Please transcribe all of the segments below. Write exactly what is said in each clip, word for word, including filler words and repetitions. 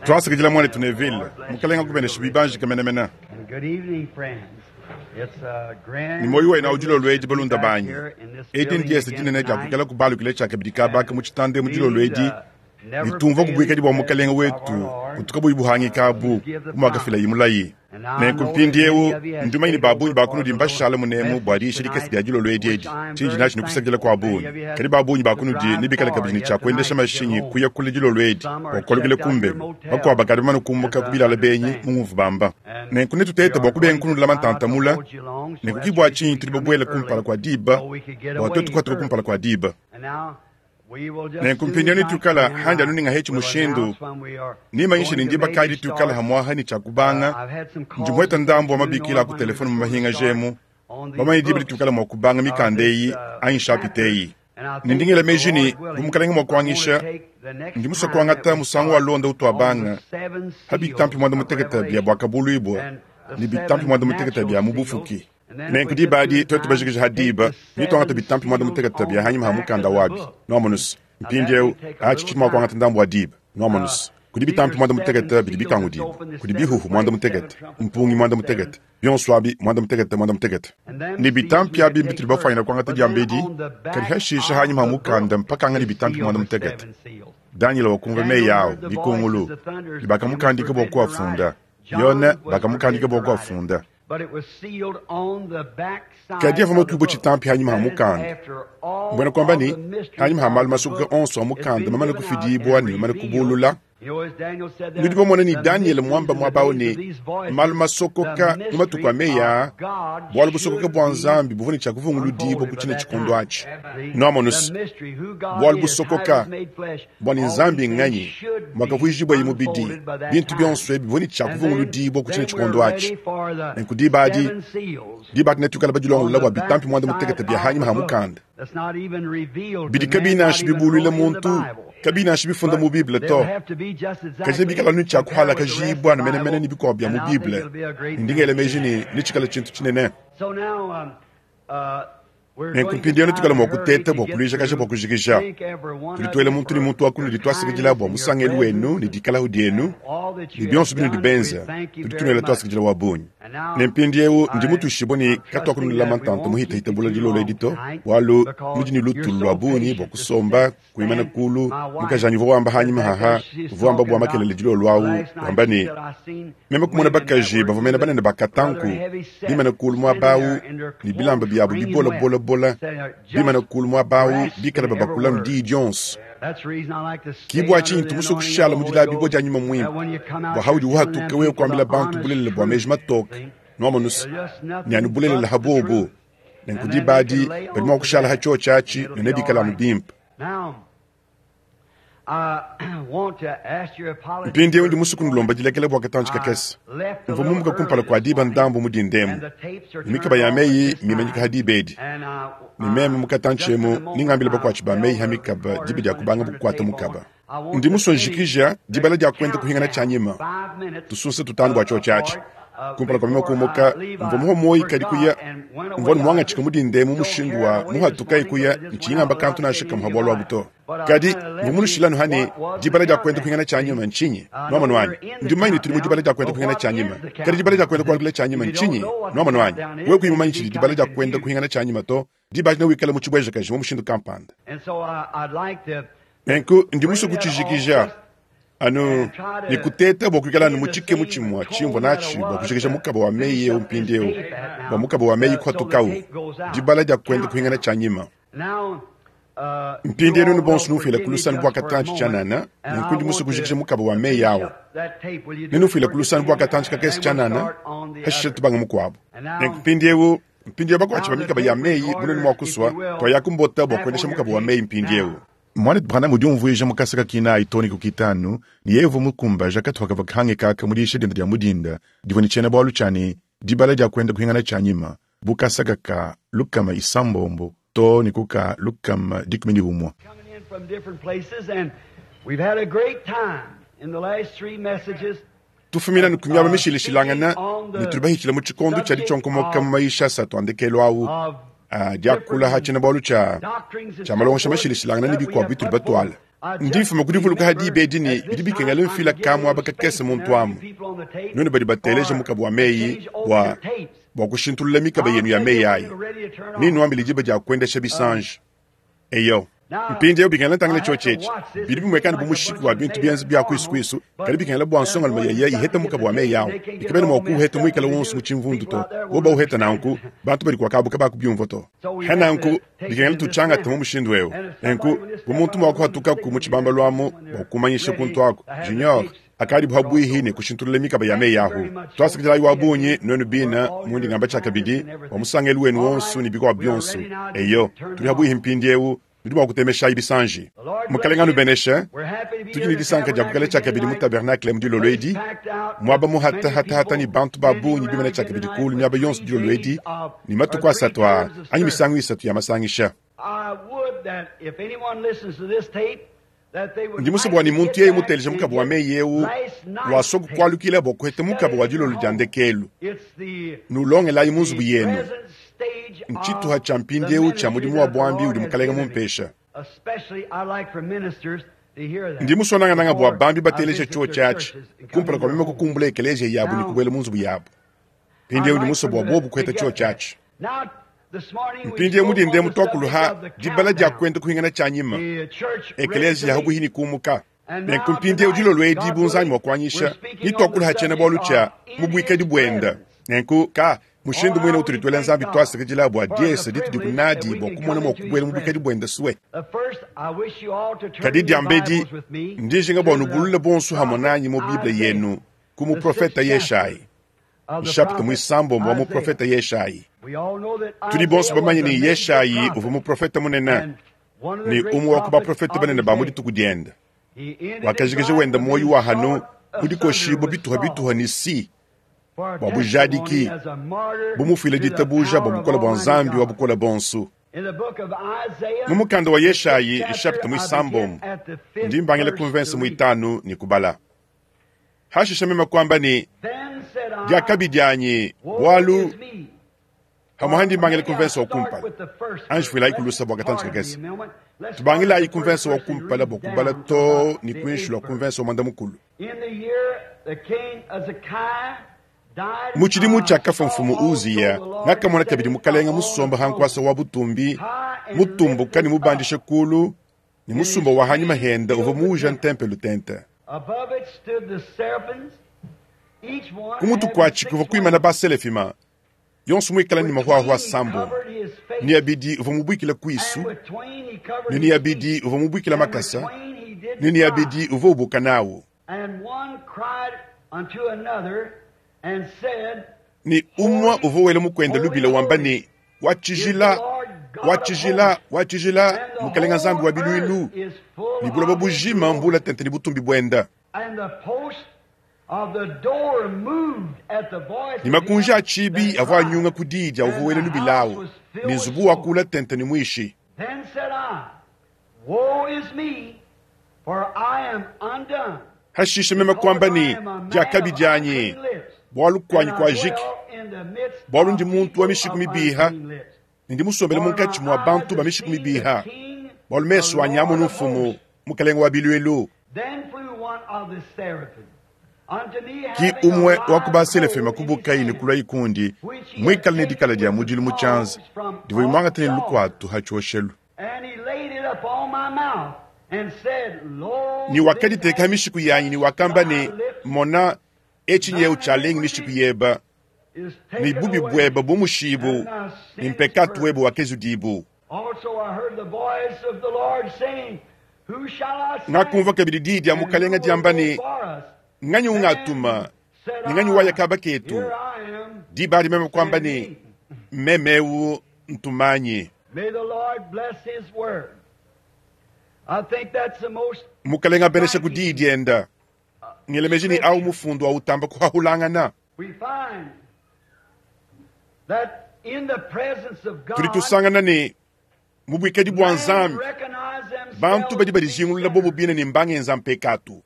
Twasakidila mwanetu Neville, Mukalenga akubeneshe bibanjika menemene. Ne muoyo wenu awu dilolo edi balunda banyi. Edi ndiese dinene dia kuikala kubalukila tshiakabidi kabaka mu tshitanda emu dilolo edi ne tumvua ku buikadi bua Mukalenga wetu butu kabuyi buhangika abu bu muakafilaye mulayi. Nenku mpindiewu ndi mumanye ne ba bungi ba kunudi mbashala munemu bua diyisha dikese dia dilolo edi edi. Tshindi natshi ne kusakidila kua bungi. Kadi ba bungi ba kunudi nebikale kabidi ne tshia kuendesha mashinyi kuya kule dilolo edi bua kualukila kumbelu. Bakuabu bakadi bamane kumbuka ku bilala benyi mu ngumvu bamba. Nenku netutete bua kubenga kunulama ntanta mula. Nenku ki bua tshinyi tudi babuele kumpala kua diba bua tuetu kuhatuka kumpala kua diba. Nenku mpindieu netuikala handi anu ningahetshi mushindu nimanyishe ne ndiba kayi dituikala hamwaha ne tshiakubanga. Ndi muheta ndambu wa mabikila a ku telefone mu mahinga jemu bamanye diba dituikala mua kubanga mikanda eyi anyi nshapita eyi. Ne ndi ngela meji ne bu Mukalenga mua kuangisha, ndi musue kuangata musangu wa londa utuabanga ha bitampi muanda mutekete bia buakabuluibua ne bitampi muanda mutekete bia mu bufuki. Nenku diba adi tuetu bajikije ha diba nituangata bitampi muanda mutekete bia hanyima ha mukanda wabi. Nuamonuse mpindieu atshi tshidi mua kuangata ndambu wa diba. Nuamonuse kudi bitampi muanda mutekete bidi bikangudibua, kudi bihuhu muanda mutekete, mpungi muanda mutekete, bionso abi muanda mutekete muanda mutekete. Ne bitampi abi mbitudi bafwanyina kuangata diambedi, kadi hashisha hanyima ha mukanda mpakanga ne bitampi muanda mutekete. Daniel wakumva meyi awo bikungulu ne bakamukandika bua kuafunda. Yone bakamukandika bua kuafunda. Kadi avua matuibue tshitampi hanyima ha mukanda. Mbwena kuamba ne hanyima ha malu masokoka onso a mukanda mamane kufidibua ne mamane kubulula. Nudi bamona ne Daniel muamba muaba awu ne malu masokoka mu matuku a meyi aa, bualu busokoka bua Nzambi buvua ne tshia kuvunguludibua ku tshine tshikondo atshi. Nuamonuse bualu busokoka bua ne Nzambi nganyi muakavuijibuaye mubidi, bintu bionso ebi bivua ne tshia kuvunguludibua ku tshine tshikondo atshi. Nenku diba adi, diba adi netuikale badilongolola bua bitampi muanda mutekete bia hanyima ha mukanda bidi kabiyi nansha bibuluila muntu, kabiyi nansha bifunda mu Bible to. Kadi nebikale anu tshia kuhalakajibua ne menemene ne bikuabu bia mu Bible. Ndi ngela meji ne netshikale tshintu tshinene. Nenku mpindieu netuikale mua kuteta bua kuluijakaja bua kujikija. Tudi tuela muntu ne muntu wa kunudi tuasakidila bua musangelu wenu ne dikalahu dienu ne bionso binudi benza. Tudi tunuela tuasakidila wa bungi. Ne mpindieu ndi mutuishibue ne katuakunulama ntanta muhitahita bula dilolo edi to, bualu nudi ne lutulu lua bungi bua kusomba kuimana kulu. Mukajanyi uvua wamba hanyima haha, uvua wamba bua makelele dilolo awu, wamba ne meme kumona bakaji bavua mena banene ba katanku bimana kulu muaba awu ne bilamba biabu bibola bola bola bimana kulu muaba awu bikala babakula mu diyi dionso. Ki bua tshinyi tumusue kushala mu dilabibua dia nyuma muimpe bua haudi uhatuka wewe kuambila bantu bulelela bua meji matoke. Nuamonuse ne anu bulelela ha bobo. Nenku diba adi badi mua kushala ha tshiotshi atshi ne nebikale anu bimpe. Mpindieu ndi musue kunulomba dilekela bua katantshi kakese. Mvua mumuka kumpala kua diba ndambu mu dindemu, ne mikaba ya meyi mimanyika ha diba edi. Ne meme mu katantshi emu ningambila bakuatshi ba meyi ha mikaba diba dia kubanga kukuata mukaba. Ndi musue njikija dibala dia kuenda kuhingana tshianyima tusunsa tutanu bua tshiotshi atshi. Kumpala kua meme kumuka mvua muha muoyi kadi kuya mvua muangatshika mu dindemu mushindu wa muhatuka kuya ntshingamba kantu nansha kamuha bualu abu to. Kadi mvua munushilanu hane dibala dia kuenda kuhingana tshianyima ntshinyi? Nuamonu wanyi ndi mumanye ne tudi mu dibala dia kuenda kuhingana tshianyima. Kadi dibala dia kuenda kualukila tshianyima ntshinyi? Nuamonu wanyi wewe kuyi mumanyi tshidi dibala dia kuenda kuhingana tshianyima to, diba adi newikale mu tshibuejakaji mu mushindu kampanda. Nenku ndi musue kutshijikija anu ne kuteta bua kuikala anu mutshike mutshimua tshimvua natshi bua kujikija mukaba wa meyi eu mpindieu bua mukaba wa meyi kuhatukawu dibala dia kuenda kuhingana tshianyima. Mpindieu nunu bonso nufuila ku lusanu bua katantshi tshianana, nenku ndi musue kujikija mukaba wa meyi awu. Nenufuile ku lusanu bua katantshi kakese tshianana, hashishe tubanga mukuabu. Nenku mpindieu mpindieu bakuatshi ba mikaba ya meyi bunene mua kusua twayakumbota bua kuendesha mukaba wa meyi mpindieu. Mwanetu Branham udi umvuija mu kasaka kinayi too ne ku kitanu ne yeye uvua mukumbaja katupa kavua kahange kaka mu diyisha diende dia mu dinda divua ne tshiena-bualu tshia ne dibala dia kuenda kuhingana tshianyima bu kasaka ka lukama isambombo too ne ku ka lukama dikumi ne umue. Coming in from different places, and we've had a great time in the last three messages. Tufumina ne ku miaba mishilashilangana ne tudi bahitshila mu tshikondo tshia ditshionkomoka mu mayisha asatu a ndekelu awu a diakula ha tshiena-bualu tshia Doctrines and tshia malongesha so forth mashilashilangana ne that we bikuabu have bitudi put batuala. forth. Ndi mfuma ku divuluka ha diba edi ne bidi bikengela mfila kamuaba kakese muntu amu. Nuenu badi bateleja mukaba wa meyi bua bua kushintulula mikaba yenu ya meyi ayi. Ninuambile diba dia kuendesha bisanji. Eyo. Mpindieu bikengela ntangila tshiotshi etshi. Bidi bimuekana bu mushiki wa bintu bienza bia kuisu-kuisu, kadi bikengela bua nsongalume yeye ihete mukaba wa meyi awu. Ikabena mua kuuheta muikala wonso mu tshimvundu to. Bo bauheta nanku, bantu badi kuakabuka bakubiumvua to. Ha nanku, bikengela tutshiangate mu mushindu eu. Nenku, bu muntu mua kuhatukaku mu tshibambalu amu bua kumanyisha kuntu aku, Junior, akadi buha buihi ne kushintulula mikaba ya meyi ahu. Twasakidila wa bungi nuenu bina mundi ngamba tshiakabidi wa musangelu wenu wonso ne bikuabu bionso. Eyo, tuli ha buihi mpindieu nudi mua kutemesha bisanji. Mukalenga anubeneshe. Tudi ne disanka dia kukala tshiakabidi mu tabernacle mu dilolo edi. Muaba muhata hata hata ni bantu ba bungi bimene tshiakabidi kulu miaba yonso dilolo edi ni matuku asatu aa anyi misangu isatu ya masangisha. Ndi musue bua ni muntu yeye muteleje mukaba wa meyi eu wasua kukualukila bua kuheta mukaba wa dilolo dia ndekelu. Nulongelayi mu nzubu yenu. Ntshituha tshia mpindieu tshia mudimu wa buambi udi mukalenga mumpesha. Ndi musue nangananga bua bambi bateleje tshiotshi tshiatshi kumpala kua meme kukumbula ekeleziya yabu ne kubuela mu nzubu yabu. Mpindieu ndi musue bua bobu kuheta tshiotshi tshiatshi. Mpindieu mudinde mutuakuluha dibala dia kuenda kuhingana tshia nyima. Ekeleziya habuhi ni kumuka. Nenku mpindieu dilolo edi bu Nzambi mua kuanyisha nituakuluha tshiena bualu tshia mu buikadi buenda. Nenku ka mushindu muine utudi tuela Nzambi twasakidila bua diesa ditudi kunadi bua kumona mua kubuela mu buikadi buenda sue. Kadi diambedi ndijinga bua nubulule bonso hamwe nanyi mu Bible yenu ku muprofeta Yeshayi. Nshapita muisambombo wa muprofeta Yeshayi. Tudi bonso bamanye ne Yeshayi uvua muprofeta munene ne umwe wa ku baprofeta banene ba mu dituku dienda. Wakajikija wenda moyo wa hanu mudikoshibwa bituha bituha ni si bua bujadiki bumufuile ditabuja bua bukola bua Nzambi wa bukola bonso. Mu mukanda wa Yeshayi nshapita muisambombo ndi mbangila ku mvense muitanu ni kubala. Hashisha meme kwamba ni diakabi dianyi bualu hamwe ndi mbangila ku mvense wa kumpala. Anji fuilayi kulusa bua katanji kakese. Tubangilayi ku mvense wa kumpala bua kubala to ni kuinshi lwa ku mvense wa mwanda mukulu. Mu tshidimu tshia kafa mfumu Uziya, ngakamona kabidi mukalenga musomba ha nkuasa wa butumbi, mutumbuka ne mubandishe kulu, ne musumba wa hanyima henda uvua muuja ntempelo tente. Ku mutu kuatshi kuvua kuimana baselefima, yonso muikala ne mahuahua sambo. Ni abidi uvua mubuikila kuisu, ne ni abidi uvua mubuikila makasa, ne ni abidi uvua ubuka nawu. Ni umwe uvua wela mukwenda lubila wamba ni wa tshijila, wa tshijila, wa tshijila, mukalenga Nzambi wa biluilu, ni buloba bujima mbula tente ni butumbi buenda. Ni makunji a tshibi avua anyunga ku didia uvua wela lubilawu, ni nzubu wa kula tente ni mwishi. Hashisha meme kwamba ni diakabi dianyi, bualu kuanyi kwa jiki, bualu ndi muntu wa mishiku mibiha, ne ndi musombele munkatshi mua bantu ba mishiku mibiha, bualu mesu anyi amona mfumu mukalenga wa biluilu. Ki umwe wa ku baselefema kubuka ne kulwa ikundi, muikale ne dikala dia mudilu mu tshianza, divua imwangata ne lukuatu ha tshioshelu. Ni wakaditeka mishiku yanyi ni wakamba ne mona etshi nyeu tshialengi mishiku yeba, ni bubi bweba bumushibu, ni mpekatu weba wakezudibu. Ngakumva kabidi diyi dia mukalenga diamba ne nganyi ungatuma, ni nganyi waya kaba ketu. Diba adi meme kwamba ne memeu ntumanyi. Mukalenga abenesha ku diyi dienda. Ngelemeji ni au mufundu wa utamba kuhahulangana. Tudi tusangana ne mu buikadi bua Nzambi, bantu badi badijingulula bobo bine ne mbangenza mpekatu.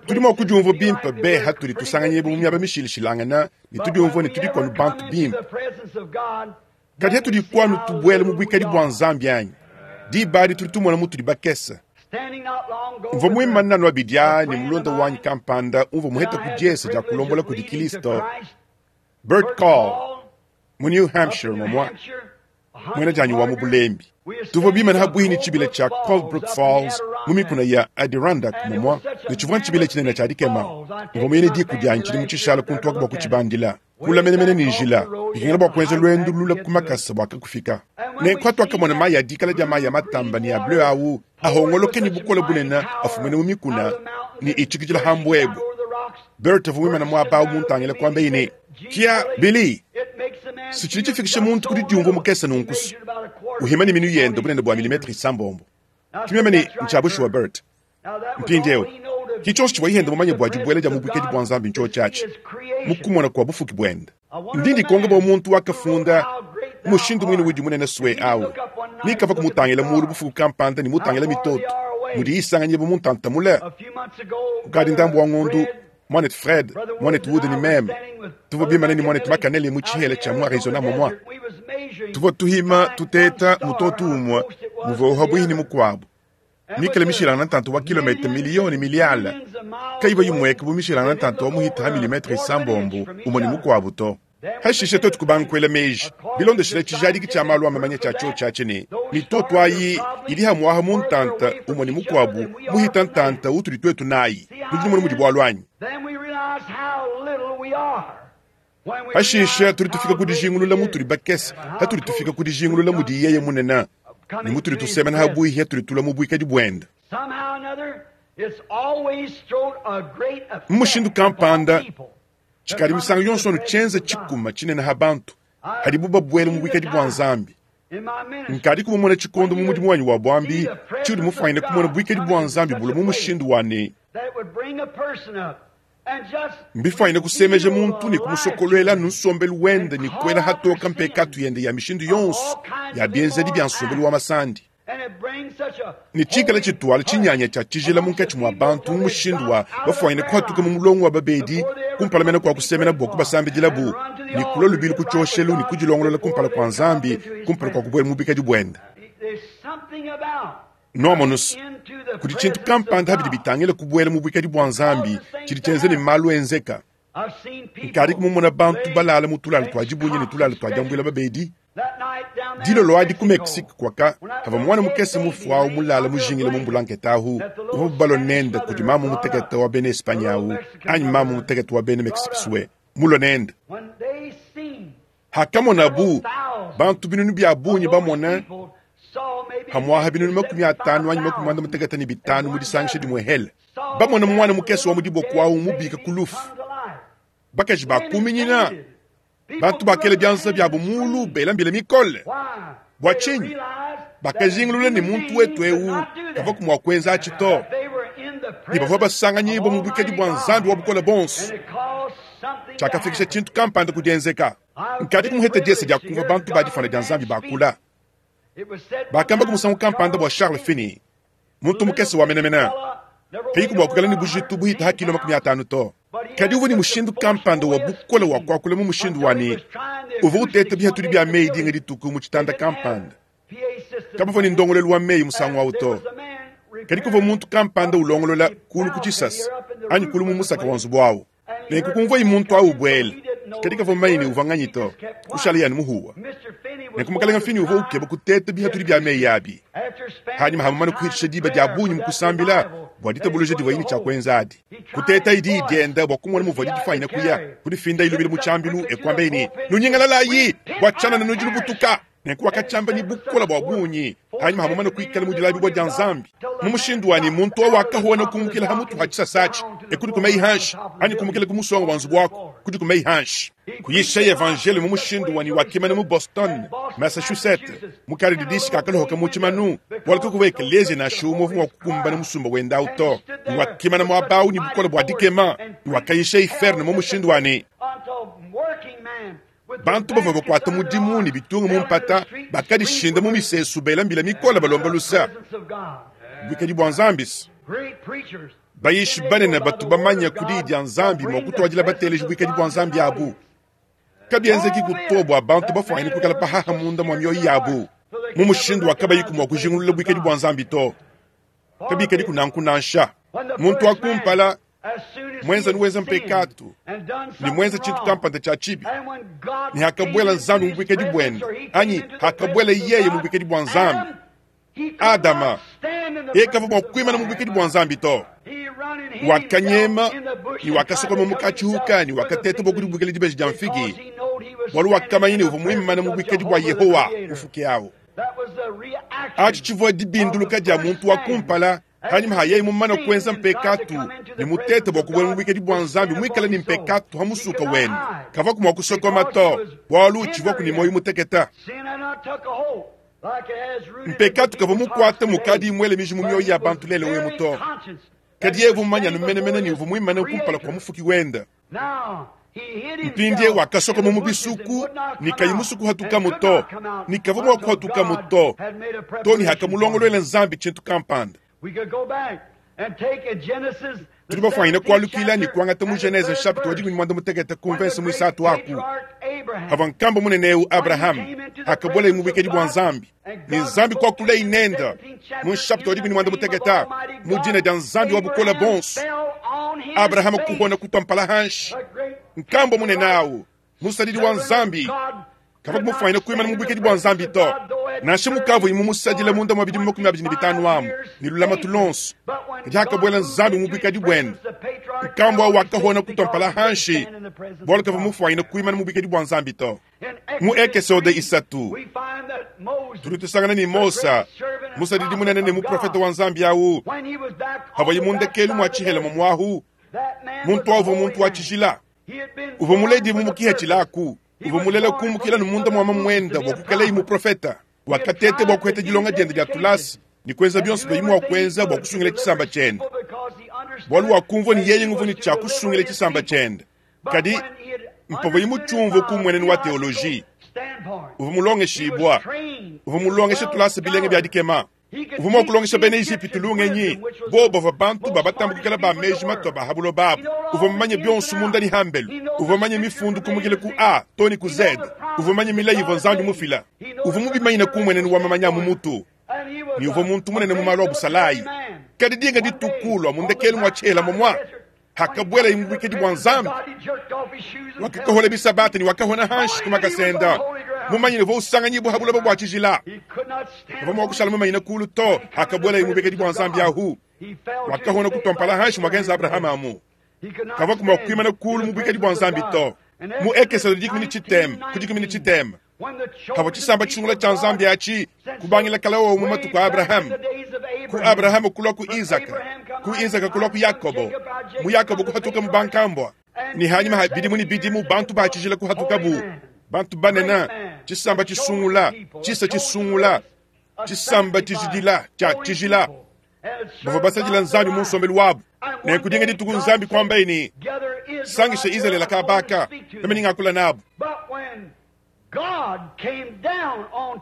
Tudi mua kudiumvua bimpe be hatudi tusanganyibwa mu miaba mishilishilangana ne tudiumvua ne tudi kuanu bantu bimpe. Kadi hatudi kuanu tubuela mu buikadi bua Nzambi anyi? Diba adi tudi tumona mutudi bakese. Mvua muimane anu abidi aa ne mulonda wanyi kampanda umvua muheta ku diese dia kulombola kudi Kristo, Bert Call, mu New Hampshire momwa, mwena janyi wa mu bulembi. Tuvua bimane habuhi ne tshibila tshia Colebrook Falls mu mikuna ya Adirondack momwa, ne tshivua ntshibila tshinene tshia dikema. Mvua muyene diku dianyi tshidi mu tshishala kuntuaka bua kutshibandila. Kula menemene ne njila, bikengela bua kuenza lwendu lula ku makasa bua kakufika. Nenku hatuakamona mayi a dikala dia mayi a matamba ne a bleu awu ahongoloke ne bukole bunene afumene mu mikuna ne itshikidila hambwebwe. Bert avua muimane muaba awu muntangile kuamba ne, Kia Billy, si tshidi tshifikisha muntu kudi diumvua mukese nunkusu. Uhima ne minu yende bunene bua milimetre isambombo. Kimeme ne ntshiabushuwa Bert. Mpindieu, ki tshionso tshivua yende mumanye bua dibuela dia mu buikadi bua Nzambi ntshio tshiatshi, mu kumona kua bufuki buende. Ndi ndikonga bua muntu wakafunda mushindu mwine udi munene swe awu. Nikava kumutangila mulu bufuku kampanda ne mutangila mitoto, mudi isanganyibwa bu muntanta mule. Kukadi ndambu wa ngondu, mwanetu Fred, mwanetu Wood ne meme, tuvua bimane ne mwanetu Makanele mu tshihela tshia mu Arizona momwa. Tuvua tuhima tuteta mutoto umwe muvua uhabuhi ne mukuabu. Mikale mishilangana ntantu wa kilomita miliyoni miliala. Kaiba yimweka bu mishilangana ntantu wa muhita ha milimetre isambombo umwe ne mukuabu to. Hashishe twetu kubanga meji bilondeshile tshijadiki tshia malu a mamanya tshia tshio tshiatshi ne mitoto ayi idi hamuaha mu ntanta umwe ne mukuabu muhita ntanta utudi twetu nayi. Nudi numona mudi bualu anyi? Hashishe tudi tufika ku dijingulula mutudi bakese, hatudi tufika ku dijingulula mudi yeye munene, ne mutudi tusemena habuihi hatudi tula mu buikadi buende. Mu mushindu kampanda, tshikadi misangu yonso anu tshienza tshikuma tshinene ha bantu, hadibu babuela mu buikadi bua Nzambi. Nkadi kumumona tshikondo mu mudimu wanyi wa buambi, tshiudi mufanyine kumona buikadi bua Nzambi bula mu mushindu wa ne mbifanyine kusemeja muntu ne kumusokoluela nsombelu wende ne kuela hatoka mpekatu yende ya mishindu yonso ya bienzedi bia nsombelu wa masandi. Ne tshikala tshituala tshinyanya tshia tshijila munkatshi mua bantu mu mushindu wa bafanyine kuhatuka mu mulongo wa babedi kumpala mene kua kusemena bua kubasambidila bu ne kulua lubilu ku tshioshelu ne kudilongolola kumpala kua Nzambi kumpala kua kubuela mu bikadi buende. Noamonusu, kudi tshintu kampanda habidi bitangila kubuela mu buikadi bua Nzambi tshidi tshienza ne malu enzeka. Nkadi kumumona bantu balala mu tulala tua dibunyi ne tulala tua diambuila babedi. Dilolo adi ku Mexique kwaka kava mwana mukese mufu awu mulala mujingile mu mbulankete ahu uvua bubalo nende kudi mamu mutekete wa bena Espanya awu anyi mamu mutekete wa bena Mexique swe mulo nende. Hakamona bu bantu binunu bia bunyi bamona hamuaha binunu makumi atanu anyi makumi anda mutekete ne bitanu mu disangisha dimwe hele. Bamona mwana mukese wa mudiboko awu mubika ku lufu. Bakaji bakuminyina. Bantu bakele bianza byabo mulu bela mbila mikole. Bua tshinyi? Bakajingulula ne muntu wetu ewu kava kumua kuenza atshi to. Ne bavua basanganyibwa mu buikadi bua Nzambi wa bukole bonso. Tshiakafikisha tshintu kampanda ku dienzeka. Nkadi kumuheta diese dia kumvua bantu ba difana dia Nzambi bakula. Bakamba kumusangu kampanda bua Charles Finney, muntu mukese wa menemene. Kayiku bua kukala ne bujitu buhita ha kilo makumi atanu to. Kadi uvua ne mushindu kampanda wa bukole wa kuakula mu mushindu wa ne uvua uteta bihatudi bia meyi dinga dituku mu tshitanda kampanda. Kabavua ne ndongolelu wa meyi musangu awu to. Kadi kuvua muntu kampanda ulongolola kulu ku tshisasa anyi kulu mu musaka wa nzubu awu. Nenku kumvuayi muntu awu ubuela. Kadi kavua mumanye ne uvua nganyi to. Kushala yani muhuwa. Nenku mukalenga Finney uvua ukeba kuteta bihatudi bia meyi abi. Hanyuma hamumane kuhitisha diba dia bungi mu kusambila bua ditabuluja divua yini tshia kuenza adi. Kuteta idi idienda bua kumona muvua didifanyina kuya kudifinda ilubile mu tshiambilu ekuamba ne nunyingalalayi bua tshianana nudi nubutuka. Nenku wakatshamba ne bukola bua bungi hanyuma hamumane kuikala mu dilabibua dia Nzambi. Mu mushindu wa ne muntu awu wakahuwa kumukila ha mutu ha tshisasa atshi ekudi kumeyi hanshi anyi kumukila ku musonga wa nzubu wako kudi kumeyi hanshi. Kuyisha evangele mu mushindu wa ne wakimana mu Boston, Massachusetts, mu kale didisi kakalohoka mu tshimanu bualu kukuwa ekelezia nansha umwe uvua mua kukumbana musumba wenda awu to. Wakimana muaba awu ne bukole bua dikema, wakayisha iferne mu mushindu wa ne bantu bavua bakuata mudimu ne bitunga mu mpata bakadishinda mu misesu bela mbila mikole balomba lusa. Buikadi bua Nzambi. Bayishi banene batu bamanya kudi dia Nzambi mua kutuadila bateleji buikadi bua Nzambi abu. Kabienzeki kuto bua bantu bafwanyine kukala pahaha munda mua mioyo yabu. Mu mushindu wa kabayiku mua kujingulula buikadi bua Nzambi to. Kabikadi kunanku nansha. Muntu wa kumpala mwenza nuwenza mpekatu ni mwenza chintu kampanda cha chibi ni hakabwela Nzambi mu buikadi bwende anyi hakabwela yeye mu buikadi bwa Nzambi. Adama yekava bua kuimana mu buikadi bwa Nzambi to. Wakanyema ni wakasokoma mukachihuka ni wakateta bua kudibukila dibeji dia mfigi bwalu wakamanya ni uvua muimana mu buikadi bwa Yehowa mufuki awo. Achi chivua dibinduluka dia muntu wa kumpala hanyuma hayeyi mumana kuenza mpekatu ni mutete bua kubwela mu buikadi bwa Nzambi mwikala ni mpekatu ha musuka wene kava kumwa kusokoma to bwalu chivua kuni moyo muteketa. Mpekatu kava mukwata mukadi imwele miji mu mioyo ya bantu lele wemu to. Kadi yevu mumanya numenemene ni uvu muimane kumpala kwa mufuki wenda. Mpindie wakasokoma mu bisuku ni kayimusuku hatuka to ni kava mwa kuhatuka to to ni hakamulongolwele Nzambi chintu kampanda. Tudi bafwanyine kualukila ni kuangata mu Genese chapitre wa dikumi mwanda mutekete ku mvese mwisatu aku hava nkamba munene Abraham hakabwela mu buikadi bwa Nzambi ni Nzambi kwakula inenda mu chapitre wa dikumi mwanda mutekete mu dina dia Nzambi wa bukola bonso. Abraham kuhona kutwa hanshi nkamba munene awu musadidi wa Nzambi kava kumufwanyine kuimana mu buikadi bwa Nzambi to. Nansha mukavu imu musadila munda mwa bidimu makumi abidi ni bitanu amu ni lulama tulonso kadi hakabwela Nzambi mu buikadi bwende nkambwa wakahona kutwa hanshi bwalu kava mufwanyine kuimana mu buikadi bwa Nzambi to. Mu Ekesode isatu tuli tusangana ni Mosa musadidi munene ni muprofeta wa Nzambi awu havayi mundekelu mwa chihela mumwahu muntu avu muntu wa chijila uva muledi mumukiha chilaku uva mulela kumukila ni munda mwa mamwenda bwa kukala imu profeta wakatete bwa kuheta dilonga diende dia tulasi ni kwenza bionso bya imu wakwenza bwa kusungila chisamba chende bwalu wakumvwa ni yeye nguvu ni cha kusungila chisamba chende kadi mpavo imu chumvo kumweneni wa teoloji uva mulongeshibwa uva mulongesha tulasi bilenge bya dikema uva mwakulongesha bene Egypte lungenyi bo bava bantu babatambukikala ba meji matwa bahabulo babo uva mumanye bionso munda ni hambelu uva manye mifundu kumukile ku A toni ku Z uva manye milayi ivo Nzambi mufila uva mubimanyina kumweneni wa mamanya mumutu ni uva muntu munene mumalo wa busalayi kadi dinga ditukulwa mundekelu mwa chela momwa hakabwela imu buikadi bwa Nzambi wakakohola bisabata ni wakahona hanshi kumakasenda mumanyine vo usanganyi buhabula bwa chijila kava mwakushala mumanyine kulu to hakabwela imu buikadi bwa Nzambi ahu wakahona kutwampala hanshi mwagenza Abrahamu amu kava kumwakwimana kulu mu buikadi bwa Nzambi to. Mu Ekesode dikumi ni chitema ku dikumi ni chitema kava chisamba chisungula cha Nzambi achi kubangila kalawo mu matuku a Abrahamu ku Abrahamu kulwa ku Isaka ku Isaka kulwa ku Yakobo mu Yakobo kuhatuka mu bankambwa ni hanyuma ha bidimu ni bidimu bantu bachijila kuhatuka bu bantu banena chisamba chisungula chisa chisungula chisamba chijidila cha chijila bava basadila Nzambi mu nsombelu wabu nenkudinga dituku Nzambi kwamba ini sangisha Israeli kabaka nameningakula nabo.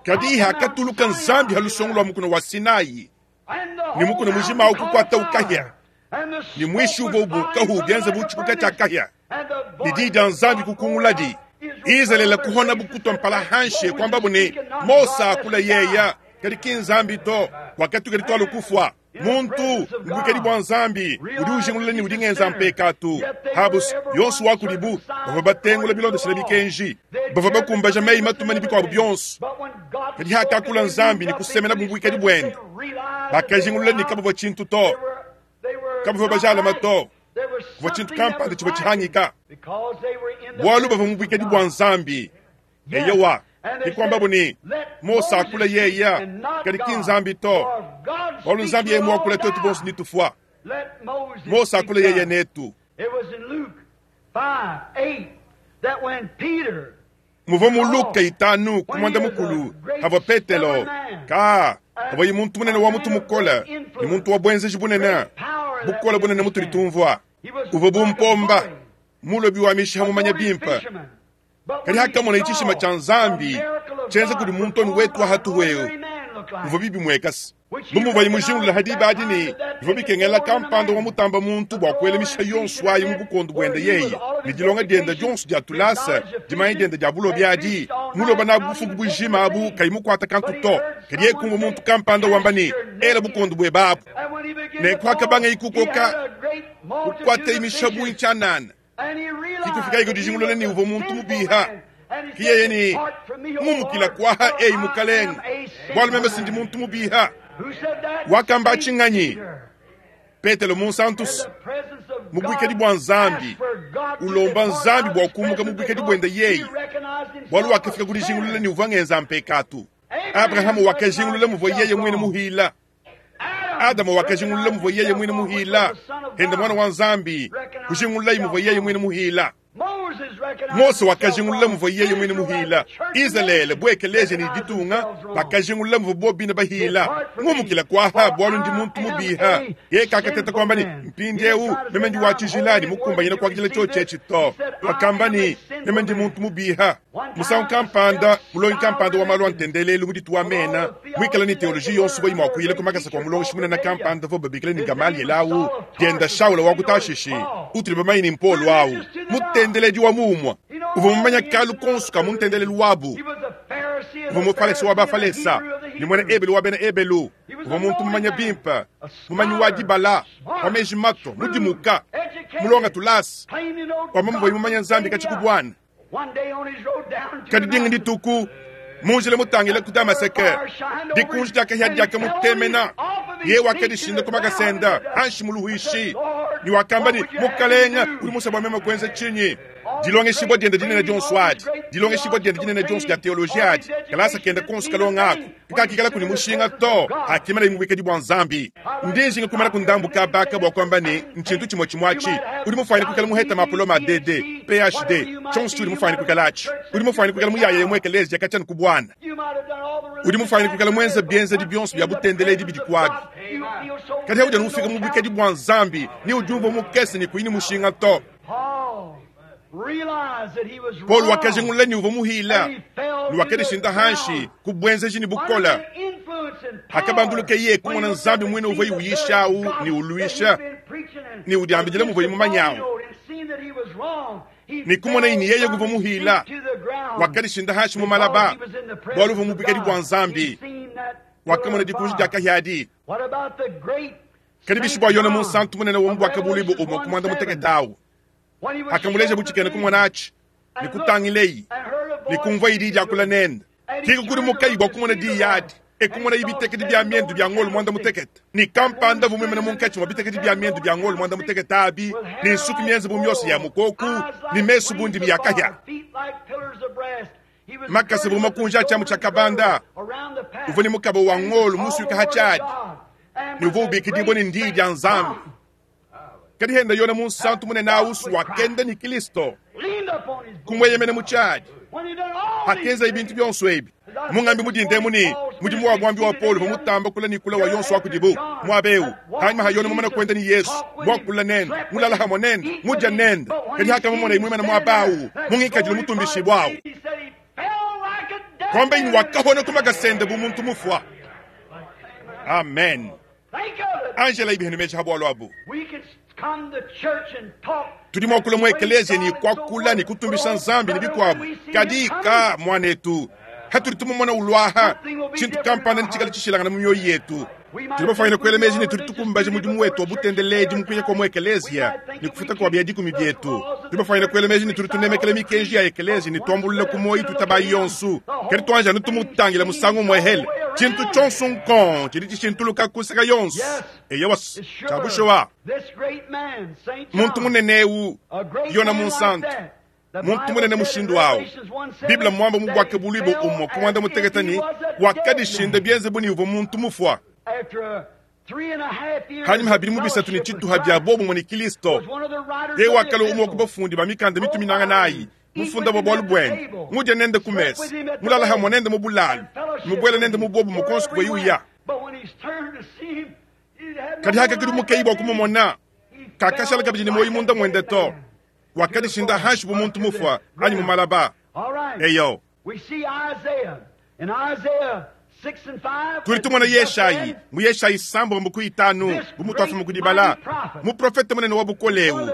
Kadi hakatuluka Nzambi halusongo lwa mukono wa Sinai ni mukono mujima au kukwata ukahya ni mwishi uvo ubukahu byanze buchikuka cha kahya ni di dia Nzambi kukunguladi Israeli kuhona bukutwa mpala hanshe kwamba bune Mosa akula yeya kadi ki Nzambi to wakati kadi twalo kufwa muntu mbukedi bwa Nzambi udi ujingulula ni udingenza mpekatu habus yonso wakudibu bava batengula bilondeshela bikenji bava bakumbaja meyi matuma ni bikwabo byonso kadi hakakula Nzambi ni kusemena bumbukedi bwende bakajingulula ni kabava chintu to kabava bajalama to kuva chintu kampanda chiva chihangika bwalu bava mubukedi bwa Nzambi eyowa ikwamba buni Mosa akula yeya kadi ki Nzambi to bwalu Nzambi yeye mwakula twetu bonso ni tufwa Mosa akula yeye netu. Muva mu Luka itanu kumwanda mukulu hava Petelo ka hava yi muntu munene wa mutu mukola ni muntu wa bwenzeji bunene bukola bunene mutu litumvwa uva bumpomba mulobi wa misha mumanya bimpa kadi hakamona ichishima cha Nzambi chenza kudi muntoni wetu wa hatu wewe uva bibi mwekasi bumuva imujingulula hadi badini biva bikengela kampanda wa mutamba muntu bwa kuelemisha yonso ayi mu bukondo bwende yeye ni dilonga dienda dionso dia tulasa dimanya dienda dia bulobi adi Muloba na bufuku bujima abu kayi mukwata kantu to. Kadi yeye kumvua muntu kampanda wamba ne, ela bukondo buebe abu. Nenku akabanga ikukoka kukwata imishabu inchanana. Kikufika iko dijingulula ni uvua muntu mubiha. Kiyeye ni mumukila kwaha eyi mukalenga. Bwalu meme sindi muntu mubiha. Wakamba chinganyi. Petelo munsantus mubwikedi bwa Nzambi ulomba Nzambi bwa kumuka mubwikedi bwenda yeyi. Bwalu wakafika kudijingulula ni uvua ngenza mpekatu. Abrahamu wakajingulula muvua yeye mwene muhila. Adamu wakajingulula muvua yeye mwene muhila. Henda mwana wa Nzambi kujingulula muvua yeye mwene muhila. Mose wakajingulula muvua yeye mwene muhila. Israele bwekeleje ni ditunga bakajingulula muvua bobina bahila. Ngumukila kwaha bwalu ndi muntu mubiha. Ye kakateta kwamba ni mpindiewu meme ndi wa tshijilani mukumbanyina kwakijila chochechi to. Wakamba ni meme ndi muntu mubiha. Musangu kampanda mulongi kampanda wa malu antendelelu mudituwa mena mwikala ni teoloji yonso boyi mwakuyila kumakasa kwa mulongi munene kampanda vo babikila ni Gamaliel awu dienda Shaula wa kutashishi utuli bamayi ni mpolo awu mutendeledi wa mumwa uvua mumanya kalu konso ka muntendelelu wabu. Uvua mufalesa wa bafalesa ni mwene ebelu wa bena ebelu. Uvua muntu mumanya bimpa mumanyi wa dibala wa meji mato mudimuka mulonga tulasi wamba muvua mumanya Nzambi kachikubwana. Kadi dinga dituku munjila mutangila ku Damaseke dikunji diakahya diaka mutemena ye wakadishinda kumakasenda anshi muluhuishi ni wakamba ni mukalenga uli musa bwa mema kwenza chinyi. Dilongeshibwa dienda dinene dionso adi dilongeshibwa dienda dinene dionso dia teoloji adi kalasa kenda konso kalonga ako kakikala kuni mushinga to akimala imubwikedi bwa Nzambi. Ndinjinga kumala kundambuka baka bwa kwamba ni nchintu chimwe chimwachi uli mufanye kukala muheta mapoloma D D P H D chonso uli mufanye kukala achi uli mufanye kukala muyaya yemwe ekelezi yakachana kubwana uli mufanye kukala mwenza bienza di bionso bya butendeledi bidikwabi. Kadi hauja nufika mubwikedi bwa Nzambi ni ujumva mukese ni kuini mushinga to. Paul wakajingulula ni uvua muhila ni wakadishinda hanshi kubwenzeji ni bukola akabanduluka ye kumona Nzambi mwene uvua iuyishawu ni uluisha ni udiambijila muvua imumanyawu ni kumona ini yeye kuvua muhila wakadishinda hanshi mumalaba bwalu uvua mubwikedi bwa Nzambi wakamona dikunji diakahyadi. Kadi bishi bwa yona munsantu munene wa mubwaka bulibu umwe kumwanda muteketawu akamuleja buchikene kumona achi nikutangileyi nikumva idi diakula nenda kiko kuli mukayi bwa kumona diyadi ekumona ibitekedi bya miendu bya ngolo mwanda mutekete ni kampanda vumwemena munkachi mwa bitekedi bya miendu bya ngolo mwanda mutekete abi ni nsuku mienze bu myosi ya mukoku ni mesu bundi miyakahya makase bu makunja achamu cha kabanda uvuni mukabo wa ngolo musuka hachadi ni uvu ubikidibwa ni ndidi ya Nzambi. Kadi henda yona munsantu munene ausu wakenda ni Kristo kumweyemene muchadi hakenza ibintu byonso ebi mungambi mudinde muni mudimu wa bwambi wa Paulo vamutamba kula ni kula wa yonso wakudibu mwabeu hanyuma hayona mumana kwenda ni Yesu mwakula nenda mulala hamwe nenda muja nenda kadi haka mumona imwemana mwabau mungikajila mutumbishi bwawu kwamba ini wakahona kumakasende bumuntu mufwa. Amen. Angela ibihenu meji habwalo abu tudi mwakula mu ekelezia ni kwakula ni kutumbisha Nzambi ni bikwabu kadi ka mwanetu hatuli tumumona ulwaha chintu kampanda ni chikala chishilangana mu mioyo yetu. Tuli bafanyina kwela meji ni tuli tukumbaje mudimu wetu wa butendeledi mukuya kwa mu ekelezia ni kufuta kwa bia dikumi byetu. Tuli bafanyina kwela meji ni tuli tunemekele mikenji ya ekelezia ni twambulula kumoyi tutabayi yonsu kadi twanja nitumutangila musangu mwehele chintu chonso nkon chili chishintuluka kuseka yonso eyewas chabushowa muntu muneneu yona munsantu muntu munene mushindu wawu Biblia mwamba mubwake bulibo umwe kumwanda muteketani wakadishinda byenze buni uvo muntu mufwa hanyuma habiri mubisatu ni chituha bya bobo mwe ni Kristo ye wakala umwe kubafundi bamikanda mituminanga nayi mufunda bo bwalu bwene mudya nende kumesa mulala hamwe nende mubulalu mubwela nende mubobo mukonsi kuba yuya kadi haka kidi mukeyi bwa kumumona kakashala kabidi ni moyi munda mwende to wakadishinda hanshi bu muntu mufwa anyi mumalaba. Eyo tuli tumona Yeshayi mu Yeshayi sambo mbuku itanu bumutu afumu kudibala muprofete munene wa bukolewu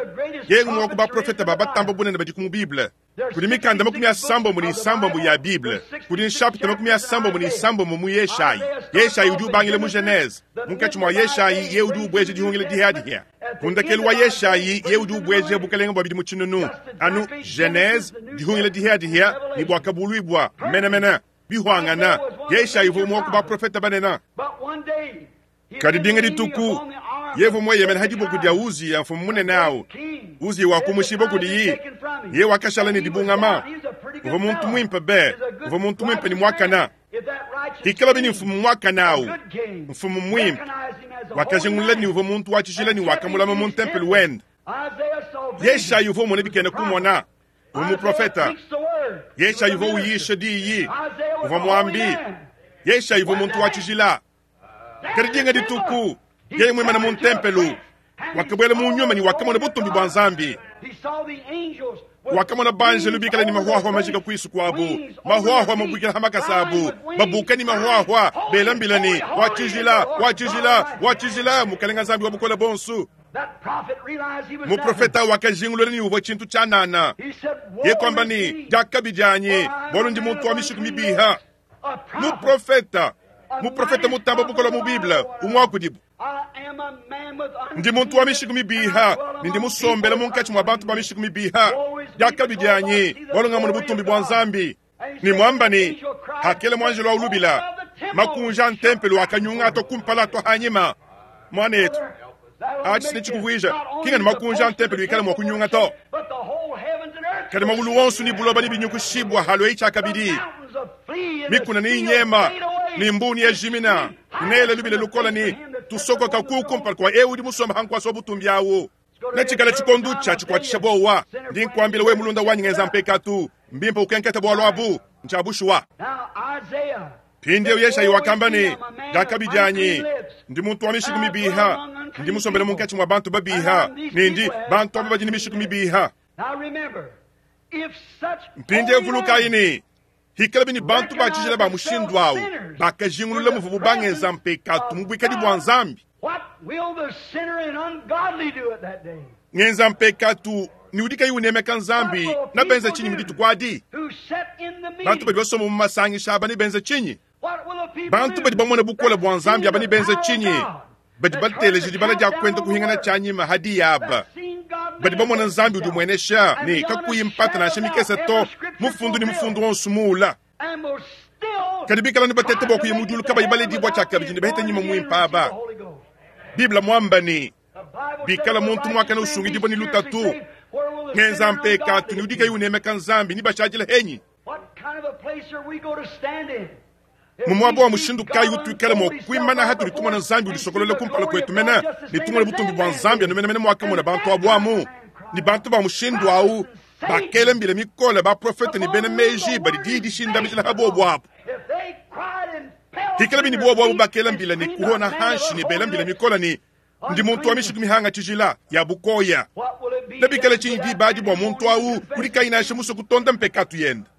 yengu mwa kuba profeta ba batamba bunene badi ku mu Bible. Kudi mikanda makumi asambombo ne isambombo ya Bible. Kudi nshapita makumi asambombo ne isambombo mu Yeshayi. Yeshayi udi ubangila mu Genese. Munkatshi mua Yeshayi ye udi ubweja dihungila dihadihia. Kundakelu wa Yeshayi ye udi ubweja bukalenge bua bidimu tshinunu. Anu Genese dihungila dihadihia ne bwakabuluibwa menamena bihwangana. Yeshayi uvua umwe wa ku baprofeta banene. Kadi dinga dituku yevu mweyemena ha dibuku dia Uziya mfumu munene awu. Uziya wakumushiba kudiyi. Ye wakashala ne dibungama. Uvua muntu mwimpe be, uvua muntu mwimpe ni mwakana. Hikala bini mfumu mwakana awu, mfumu mwimpe. Wakajingulula ni uvua muntu wa tshijila ni wakamulama mu ntempelo wende. Yeshayi uvua umona bikena kumona. Uvua muprofeta. Yeshayi uvua uyisha diyi. Uvua muambi. Yeshayi uvua muntu wa tshijila. Kadi dinga dituku yeye mwimana mu ntempelo wakabwela mu nyuma ni wakamona butumbi bwa Nzambi. Wakamona banjelu bikala ni mahwahwa majika kwisu kwabu, mahwahwa mabwikila ha makasa abu, babuka ni mahwahwa belambila ni wa tshijila, wa tshijila, wa tshijila, mukalenga Nzambi wa bukola bonsu. Muprofeta wakajingulula ni uvua tshintu tshianana. Ye kwamba ni diakabi dianyi, bwalu ndi muntu wa mishiku mibiha. Muprofeta, muprofeta mutamba bukola mu Bible, umwe kudibu. Ndi muntu wa mishiku mibiha, ni ndi musombela munkatshi mwa bantu ba mishiku mibiha. Diakabi dianyi, bwalu ngamona butumbi bwa Nzambi. Ni mwamba ni hakele mwanjelo wa ulubila, makunja ntempelo akanyunga ato kumpala ato hanyima. Mwanetu, achi sinechikuvwija, kinga ni makunja ntempelo ikala mwa kunyunga to. Kadi magulu wonsu ni buloba ni binyukushibwa halo icha kabidi. Mikuna ni inyema, ni mbuni ya jimina, nele lubile lukola ni tusoko kakuku mpaka kwa ewu di musomba hankwa sobu tumbiawo. Nechikala chikondu cha chikwatisha bowa. Ndi nkwambile we mulunda wanyi ngenza mpekatu. Mbimpa ukenketa bwalo abu, nchabushwa. Pindi ewu Yeshayi wakamba ni, diakabi dianyi, ndi muntu wa mishiku mibiha, ndi musombele munkatshi mwa bantu babiha, nindi bantu aba badi ni mishiku mibiha. Mpindi ewu vulukayi ni, hikala bini bantu ba tshijila ba mushindu awu, bakajingulula muvubu bangenza mpekatu mu bwikadi bwa Nzambi. Ngenza mpekatu ni udi kayi unemeka Nzambi na benza tshinyi mu dituku adi? Bantu badi basoma mu masangisha aba ne benza tshinyi? Bantu badi bamona bukole bwa Nzambi aba ne benza tshinyi? Badi bateleja dibala dia kwenda kuhingana tshianyima hadi yaba. Badi bamona Nzambi udi mwenesha ne kakuyi mpata nansha mikese to, mufundu ni mufundu wonso muula. Kadi bikala ne batete bwa kuya mu diulu kabayi baledibwa tshiakabidi ne baheta nyima mwimpa aba. Biblia mwamba ni bikala muntu mwakana usungidibwa ni lutatu, ngenza mpekatu ni udi kayi unemeka Nzambi ni bashadila henyi. Mu mwaba wa mushindu kayi utuikala mwa kuimana hatuli tumona Nzambi ulisokolola kumpala kwetu mena, ni tumona butumbi bwa Nzambi anu mena mena mwakamona bantu abwamu. Ni bantu ba mushindu awu, bakela mbila mikola ba profeta ni bena meji badi didi shindamijila habo bwabu. Hikala bini bwa bwabu bakela mbila ni kuhona hanshi ni bela mbila mikola ni ndi muntu wa mishiku mihanga tshijila ya bukoya. Nabikala tshinyi dibadi bwa muntu awu kudi kayinasha muso kutonda mpekatu yende.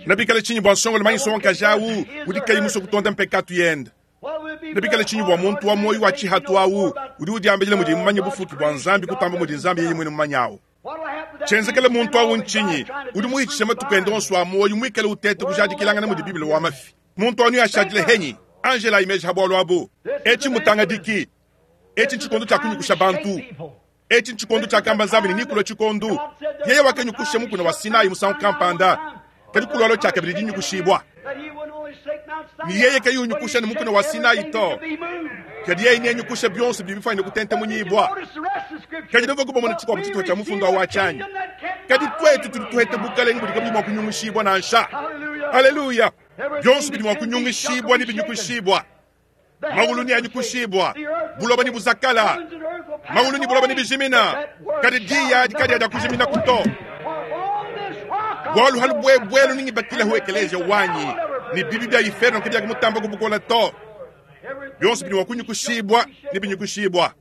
Nabikala tshinyi bwa nsongolo manyiso wankaja awu udi kayi muso kutonda mpekatu yende. Nabikala tshinyi bwa muntu wa moyo wa tshihatu awu udi udiambila mudi mumanye bufuki bwa Nzambi kutamba mudi Nzambi yeye mwene mumanyawu. Tshenzekele muntu awu ntshinyi udi muhitshisha matuku ende onso a moyo mwikale utete kujadikilangana mudi Biblia wa mafi. Muntu anu yashadile henyi Angela imeja habwalo abu. Echi mutanga diki. Echi nchikondo cha kunyukusha bantu. Echi nchikondo cha kamba Nzambi ni nikulo chikondo. Yeye wakanyukusha mukuna wa Sinai musangu kampanda. Kadi kulwalo cha kabili dinyukushibwa. Ni yeye kayunyukusha ni mukuna wa Sinai to. Kadi yeye nenyukusha byonse bibifanye kutenta munyibwa. Kadi ndogo kubona chikwa mtito cha mufundo wa chanyi. Kadi twetu tulituhete bukalenge budi kabili mwa kunyungushibwa na nsha. Haleluya. Byonse bidi mwa kunyungushibwa ni binyukushibwa. Magulu ni anyukushibwa. Buloba ni buzakala. Magulu ni buloba ni bijimina. Kadi diya kadi ada kujimina kuto. Bwalu halu bwe bwelu ningi bakila huekeleja wanyi. Ni bibi bya iferno kadi akumutamba kubukola to. Byonse bidi mwa kunyukushibwa ni binyukushibwa.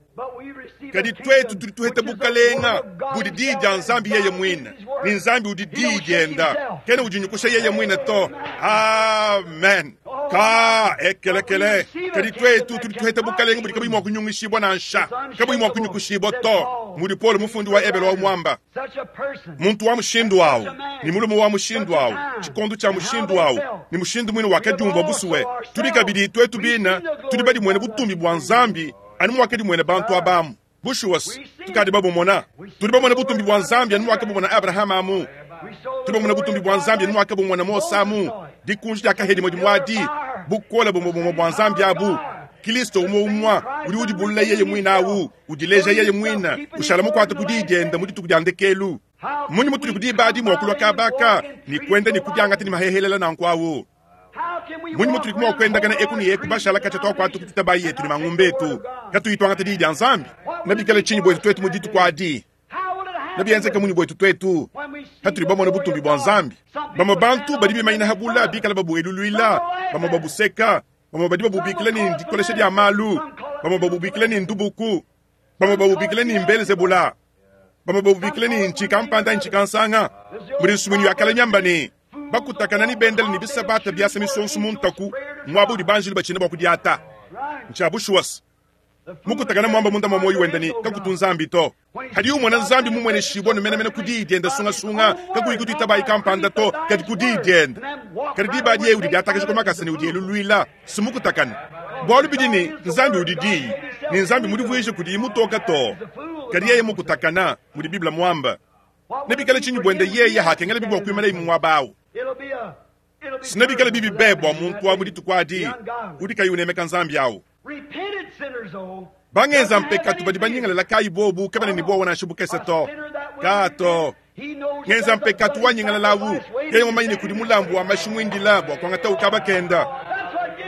Kadi twetu tulituhete bukalenga budi di dia Nzambi yeye mwine. Ni Nzambi udi di dienda. Kena ujinyukusha yeye mwine to. Amen. Ka ekelekele kadi twetu tudi tuheta bukalenge budi kabuyi mua kunyungishibua nansha kabuyi mua kunyukushibua to mudi Paulo mufundi wa Ebelo wa mwamba muntu wa mushindu wawu ni mulume wa mushindu wawu chikondo cha mushindu wawu ni mushindu mwine wakadiumva busuwe tudi kabidi twetu bina tudi badi mwene butumbi bwa nzambi anu mwakadi mwene bantu abamu bushuwas tukadi babumona tudi bamona butumbi bwa nzambi anu mwakabumona Abrahama amu tudi bamona butumbi bwa nzambi anu mwakabumona Mose amu dikunji dia kahedi modi mwadi bukola bumwe bwa nzambi abu Kristo umwe umwa udi udibulula yeye mwina awu udileja yeye mwina ushala mukwata kudidienda mu dituku dia ndekelu munyi mutuli kudibadi mwakulwa kabaka ni kwenda ni kudiangata ni mahehelela nankwawo munyi mutuli kumwa kwendakana eku ni eku bashala kacha twakwata kutitabayi yetu ni mangumbetu katuyitwangata didi dia nzambi nabikala chinyi bwetu twetu mu dituku adi nabienzeka munyi bwetu twetu hatuli bamona butumbi bwa nzambi bamwe bantu badi bimanyina habula bikala babueluluila bamwe babuseka bamwe badi babubikila ni ndikolesha dia malu bamwe babubikila ni ndubuku bamwe babubikila ni mbelezebula bamwe babubikila ni nchikampanda nchikansanga muli nsumwini yakala nyambani bakutakana ni bendele ni bisabata biasa misonso muntaku mwabudi banjili bachina bakudiata nchabushuwas mukutakana mwamba munda mwa moyo wendani kakutu nzambi to hadi umwana nzambi mumwene shibwa numenamena kudidienda sungasunga kakuyikutitabayi kampanda to kadi kudidienda kadi dibadi ye udi diatakasha kumakasa ni udi eluluila simukutakana bwalu bidini nzambi udi diyi ni nzambi mudivuishe kudi mutoka to kadi yeye mukutakana mudi bibla mwamba nebikala chinyi bwende yeye hakengela bibwa kuimala imumwabawu sinebikala bibi bebwa muntu wa mudituku adi udi kayi unemeka nzambi awu bangenza mpekatu badi banyingalela kayi bobu kabana ni bwa wana shibukese to kato ngenza mpekatu wanyingalelawu yeye mumanyine kudi mulambu wa mashimwindila bwa kwangata ukabakenda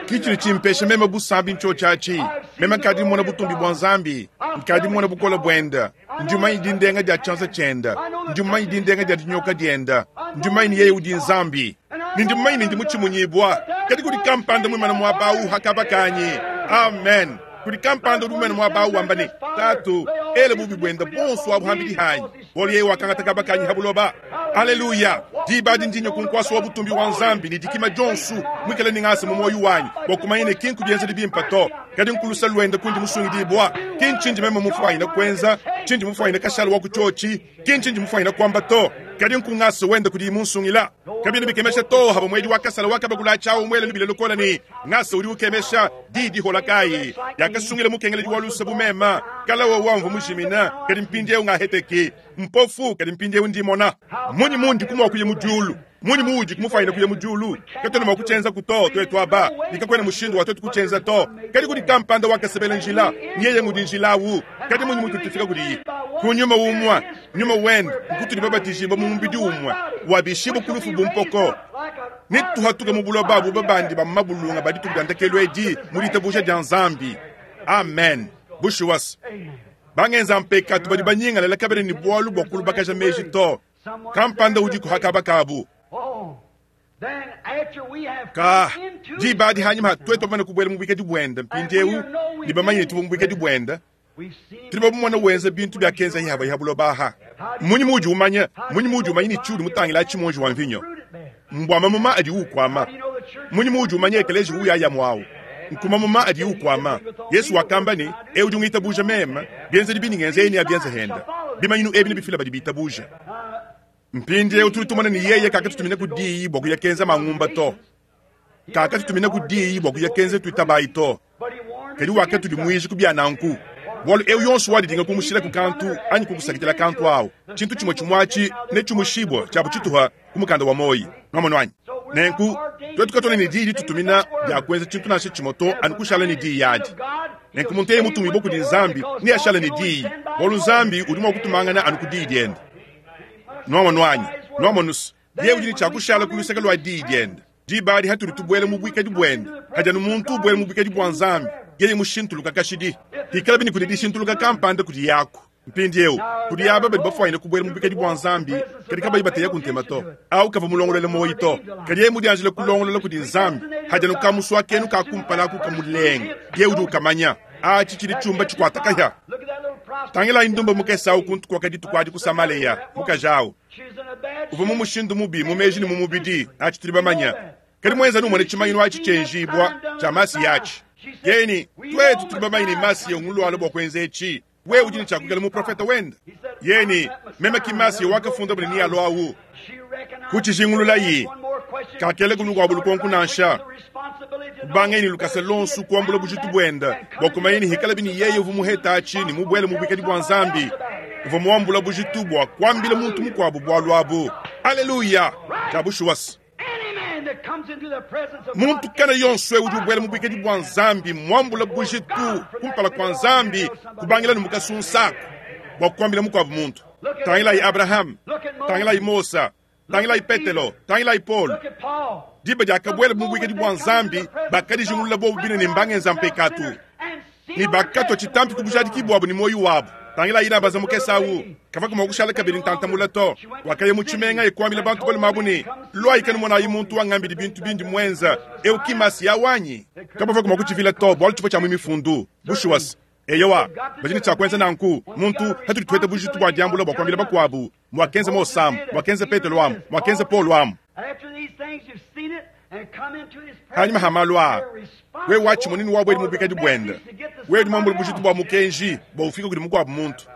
kichili chimpesha meme busambi ncho chachi meme nkadi mona butumbi bwa nzambi nkadi mona bukola bwenda ndiumanyi dindenga dia chansa chenda ndiumanyi dindenga dia dinyoka dienda ndiumanyi yeye udi nzambi nindiumanyi ndi muchimunyibwa kadi kudi kampanda mwimana mwabawu hakabakanyi amen kudi kampanda udi mwimana mwabawu wambane tatu ele bubi bwenda bonso abuhambili hanyi bolo yeye wakangata kabakanyi habuloba aleluya dibadi ndinyo kunkwasa wa butumbi wa nzambi ni dikima jonsu mwikele ningasa mu moyo wanyi bwakumanyine kinku bienzeli bimpa to kadi nkulusa lwenda kundi musungidibwa kinchindi meme mufwanyina kwenza chindi mufwanyina kashala wa kuchochi kinchindi mufwanyina kwamba to kadi nkungasa wenda kudi munsungila kabini bikemesha to haba mwedi wakasala wakabagula chawo mwele lubile lukola ni ngasa uri ukemesha didi holakayi yakasungila mukengele walusa bumema kala wa wamvu mushimina kadi mpindie ungaheteki mpofu kadi mpindie undimona munyi mundi kumwa kuye mudyulu munyi muudi kumufanyina kuye mudyulu katona mwakuchenza kuto twetu aba nikakwena mushindu wa twetu kuchenza to kadi kudi kampanda wakasebela njila nyeye ngudi njilawu kadi munyi mutu tufika kudi kunyuma umwa nyuma wenda nkutuli babatishibwa mu mubidi umwa wabishibwa kulufu bumpoko nituhatuka mu buloba bu babandi ba mabulunga badituku ndekelo edi muditabusha dia nzambi amen bushuwas bangenza mpekatu badi banyingalela kabene ni bwalu bwa kulubakaja meji to kampanda udi kuhakabakabu ka dibadi hanyuma twetu bamane kubwela mu bwikadi bwenda mpindiewu ni bamanyine tubu mu bwikadi bwenda tuli babumona wenza bintu bya kenza yihaba yihabulobaha munyi muji umanya munyi muji umanya ni chuli mutangila chimonji wa mvinyo mbwama muma adi ukwama munyi muji umanya ekeleji uyaya mwawu nkuma muma adi ukwama Yesu wakamba ni eudi ngitabuja mema bienze dibini ngenze eni abienze henda bimanyinu ebi nibifila badi bitabuja mpindi eu tuli tumana ni yeye kakatutumina kudiyi bwa kuyakenza mangumba to kakatutumina kudiyi bwa kuyakenza tuitabayi to kadi wakatuli mwiji kubyananku bwalu eu yonso wadidinga kumushila ku kantu anyi kukusakitila kantu awo chintu chimwe chimwachi ne chumushibwa chabu chituha kumukanda wa moyi nwamono anyi nenku twetu katona ni diyi litutumina bya kwenza chintu nashe chimoto anu kushala ni diyi yadi nenku muntu yeye mutumibwa kudi nzambi ni ashala ni diyi bwalu nzambi udi mwa kutumangana anu ku diyi diende nwamono anyi nwamonusu ye udi ni chakushala kuluseka lwa diyi diende dibadi hatuli tubwele mu bwikadi bwende hajanu muntu ubwele mu bwikadi bwa nzambi yeye mushintuluka kashidi hikala bini kudi dishintuluka kampanda kudi yako mpindi eu kudi yaba badi bafwanyina kubwela mu bwikadi bwa nzambi kadi kabayi bateya kuntema to au kava mulongolole moyi to kadi yeye mudianjile kulongolola kudi nzambi hajanu kamuswa kenu kakumpala kamulenga ye udi ukamanya achi chili chumba chikwata tangela indumba mukesau kuntu kwakadi tukwadi kusamaleya mukajawu uva mu mushindu mubi mumeji ni mu mubidi achi tuli bamanya Kadi mwenza numone tshimanyinu atshi tshienjibua tshia masiya atshi. Yeni twetu tuli bamanyi ne masiya ngulwala bua kuenza etshi. Wewe udi ne tshiakukela muprofeta wenda. Yeni meme ki masiya wakafunda bune ni alo awu. Kuchijingululayi kakele kunu lukonku nansha. Kubangeni lukasa lonsu kuambula bujitu bwenda bua kumanya ni hikala bini yeye uvu muheta achi ni mubwele mubwikadi bwa Nzambi. Uvu muambula bujitu bua kuambila muntu mukuabu bwalu abu. Haleluya. Jabushuwas. Muntu kana yonso udi ubwela mubwikadi bwa Nzambi muambula bujitu kumpala kwa Nzambi kubangila numukasunsaku bua kuambila mukuabu muntu. Tangilai Abraham, tangilai Musa, tangilai Petelo, tangilai Paul. Diba diakabwela mubwikadi bwa Nzambi bakadijingulula bobu bine ne mbangenza mpekatu. Ni bakatwa chitampi kubujadiki bwabu ni moyo wabu. Tangila ina baza mukesa awu. Kava kuma kushala kabiri ntantamula to. Wakaye muchimenga ekwambila bantu bali mabuni. Lwa ikanu mwana ayi muntu wangambili bintu bindi mwenza. Eu kimasi ya wanyi. Kaba kuma kuchivila to. Bwalu chipo cha mwimifundu. Bushuwas. Eyowa, bajini cha kwenza nanku. Muntu hatuli tuwete bujitu bwa diambula bwa kwambila bakwabu. Mwakenza Mosam, mwakenza Petelo amu, mwakenza Paul amu. Hanyuma hamalwa. We wachi munini wabwe mubikadi bwenda. We mwambula bujitu bwa mukenji bwa ufika kuli mukwabu muntu.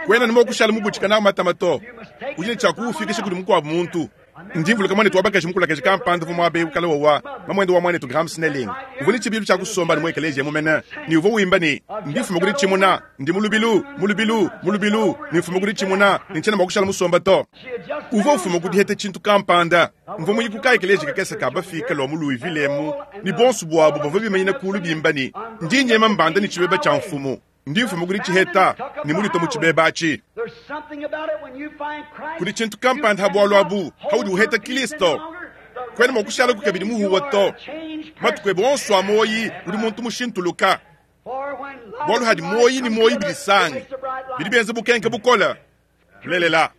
Kwena nimo kushala mubuchika na matamato. Ujine cha kuufikisha kuli mukwabu muntu. Ndimvuluka mwane tuwabakaji mukula kampanda vumwa abe ukala wawa. Mamwendo wa mwane tu Graham Snelling. Uvuni chibilu cha kusomba ni mwekeleje mumena. Ni uvo uimba ni ndifu muguri chimuna, ndi mulubilu, mulubilu, mulubilu, ni muguri chimuna, ni chena makushala musomba to. Uvo ufu muguri hete chintu kampanda. Mvo muyiku ekeleje kakesa kabafika lo mu Louisville emu. Ni bonsu bwabo bavo bimanyina kulu bimba ni. Ndi nyema mbanda ni chibeba cha mfumu. Ndi mfumu kuli chiheta, ni mulito mu chibeba achi. Kuli chintu kampanda habwalu abu, haudi uheta Kristo. Kwena mwakushala kukabili muhuwa to. Matukwe bonsu amoyi, uli muntu mushintuluka. Bwalu hadi moyi ni moyi bilisanga. Bili benze bukenke bukola. Lelela.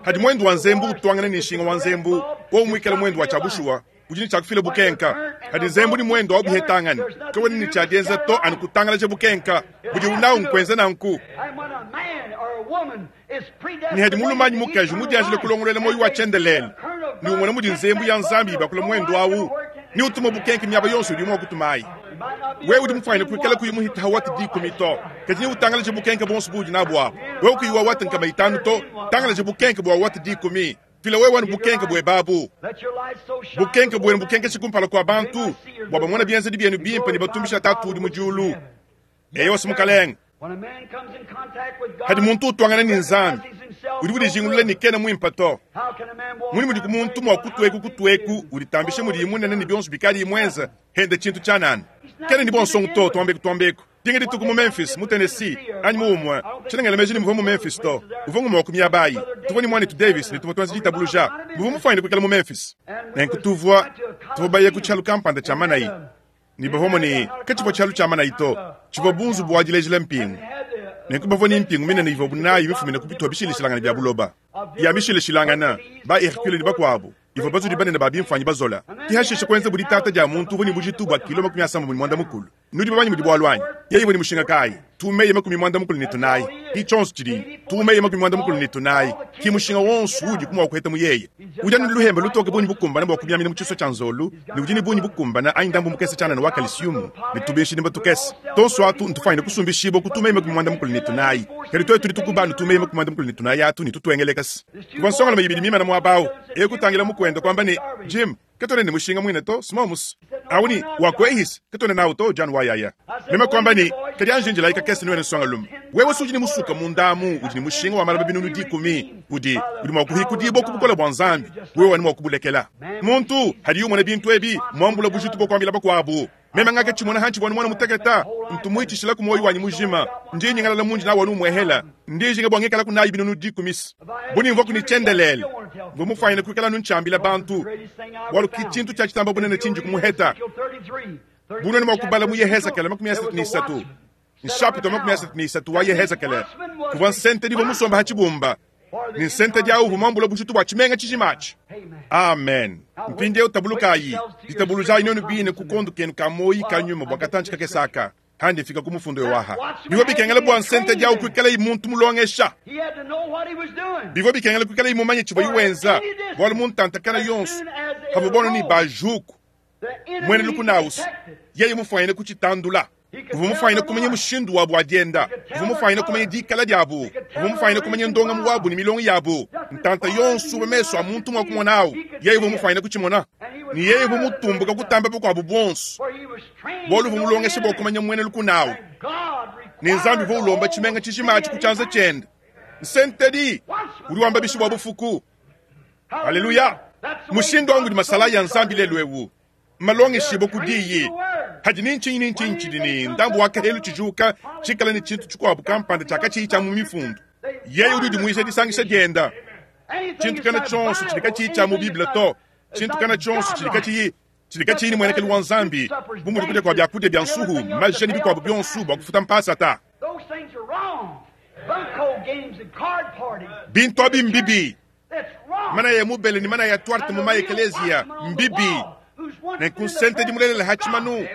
Hadi mwendu wa nzembu utwangana ni nshinga wa nzembu, wo mwikela mwendu wa chabushuwa. Ujini chakufila bukenka. Hadi nzembu ni mwendo wa buhetangani. Kawe ni chajenza to anukutangala cha bukenka. Budi unao nkwenza na nku. Ni hadi mulumanyi mukaji mudianjile kulongolele moyo wa chendelele. Ni umwana mudi nzembu ya nzambi bakula mwendo awu. Ni utuma bukenka miaba yonso udi mwa kutumai. Wewe udi mfanye kuikala kuyimuhita hawati di kumito. Kati ni utangala cha bukenka bonso budi na bwa. Wewe kuyiwa wati nkama itanu to. Tangala cha bukenka bwa wati di kumi. Fila wewe wanu bukenke bwe babu. Bukenke bwe bukenke chikumpala kwa bantu. Bwaba mwana bienze di bienu bimpe ni batumbisha tatu udi mujulu. Eyo simukaleng. Hadi muntu utwangana ni Nzambi. Udi udi jingulula ni kena mwimpa to. Muni mudi kumuntu mwa kutweku kutweku ulitambisha mudi imunene ni bionso bikali imwenza hende chintu chanana. Kena ni bonsongo to twambeku twambeku. Dinga dituku mu Memphis, mu Tennessee, anyi mu umwe. Chinangela mejini mvumo mu Memphis to. Uvongo mwa kumia bayi. Tuvoni mwani tu Davis ni tuvotwanzi jitabuluja. Mvumo mfanye kukela mu Memphis. Nenku tuvwa tuvobaye kuchalu kampanda cha manayi. Ni bavomo ni kachipo chalu cha manayi to. Chivo bunzu bwajilejile mpingu. Nenku bavoni mpingu mina ni ivobunayi mifumina kupitwa bishilishilangana bya buloba. Ya mishilishilangana ba Hercule ni bakwabu. Ivo bazuli banene babi mfanyi bazola. Tihashisha kwenza buli tata ja muntu voni bujitu bwa kilo makumi asamba mu mwanda mukulu. Nudi babanyi mudi bwalwanyi. Yeye voni mushinga kai. Tumeye makumi mwanda mukulu ni tunayi. Ki chonso chiri. Tumeye makumi mwanda mukulu ni tunayi. Ki mushinga wonsu udi kumwa kuheta mu yeye. Uja nuluhemba lutoke bunyi bukumbana bwa kumyamina mu chiso cha nzolu. Ni ujini bunyi bukumbana ayi ndambu mukese chana na wakalisiumu. Ni tubeshi ni batukese. Tonso atu ntufanye kusumbishibo kutumeye makumi mwanda mukulu ni tunayi. Kali toye tuli tukubanu tumeye makumi mwanda mukulu ni tunayi atu ni tutwengelekasi. Kubansonga mayibili mima na mwabao. Ekutangira mukwenda kwamba ni Jim katone ni mushinga mwine to smomus awuni wakwehis katone nawo to John wayaya mema kwamba ni kadi anjinjila ikakese niwe nsonga lumu wewe suji ni musuka mundamu udi ni mushinga wa malaba binunu dikumi udi udi mwakuhikudibo kubukola bwa Nzambi wewe wani mwakubulekela muntu hadi yumona bintu ebi mwambula bujitu bwo kwambila bakwabu mema ngake chimona hanchi bwana mwana muteketa ntumuitishila ku moyo wanyi mujima ndi nyingalala munji na wanu mwehela ndi jinga bwangekala kunayi binunu dikumis buni mvo kunichendelele ngomufanyile kuikala nunchambila bantu walu kichintu cha chitamba bunene chinji kumuheta bunene mwakubala mu Yehezekele makumi asatu ni isatu nshapito makumi asatu ni isatu wa Yehezekele kuva nsente divo musomba hachibumba ni nsente dia uvu mwambula bujitu bwa chimenga chijimachi. Amen. Mpinde utabulukayi ditabuluja inonu bine kukondu kenu kamoyi kanyuma bwa katanchi kakesaka handi fika kumufundo yowaha. Bivo bikengela bwa nsente dia ukwikala imuntu mulongesha. Bivo bikengela kwikala imumanye chibo iwenza bwalu muntantakana yonso. Havua ni bajuku mwene lukunausu yeye mufwanyine kuchitandula uvu mufwanyine kumanya mushindu wabu wa dienda uvu mufwanyine kumanya dikala diabu uvu mufwanyine kumanya ndongamu wabu ni milongo yabu ntanta yonso meso a muntu mwa kumonawu yeye uvu mufwanyine kuchimona ni yeye uvu mutumbuka kutamba bukwabu bonso bolu uvu mulongesha bwa kumanya mwene lukunawu ni nzambi uvu ulomba chimenga chishima kuchanza chenda nsentedi uri wamba bishi bwa bufuku haleluya mushindu wangu ni masala ya nzambi lelo ewu malongeshibo kudiyi hadi ninchinyi ninchinyi ni ndambu wakahelu chijuka chikala ni chintu chikwabu kampanda chakachiyi cha mu mifundu yeye uri udi disangisha dienda chintu kana chonso chilika chiyi cha mu biblia to chintu kana chonso chilika chiyi chilika chiyi ni mwenekelu wa nzambi bumuli kudya kwa byakudia bya nsuhu majeni bikwabu byonsu bwa kufuta mpasa ta bintu abi mbibi mana ya mubele ni mana ya twarte mu maekeleziya mbibi nenkunsente dimulelela hachimanu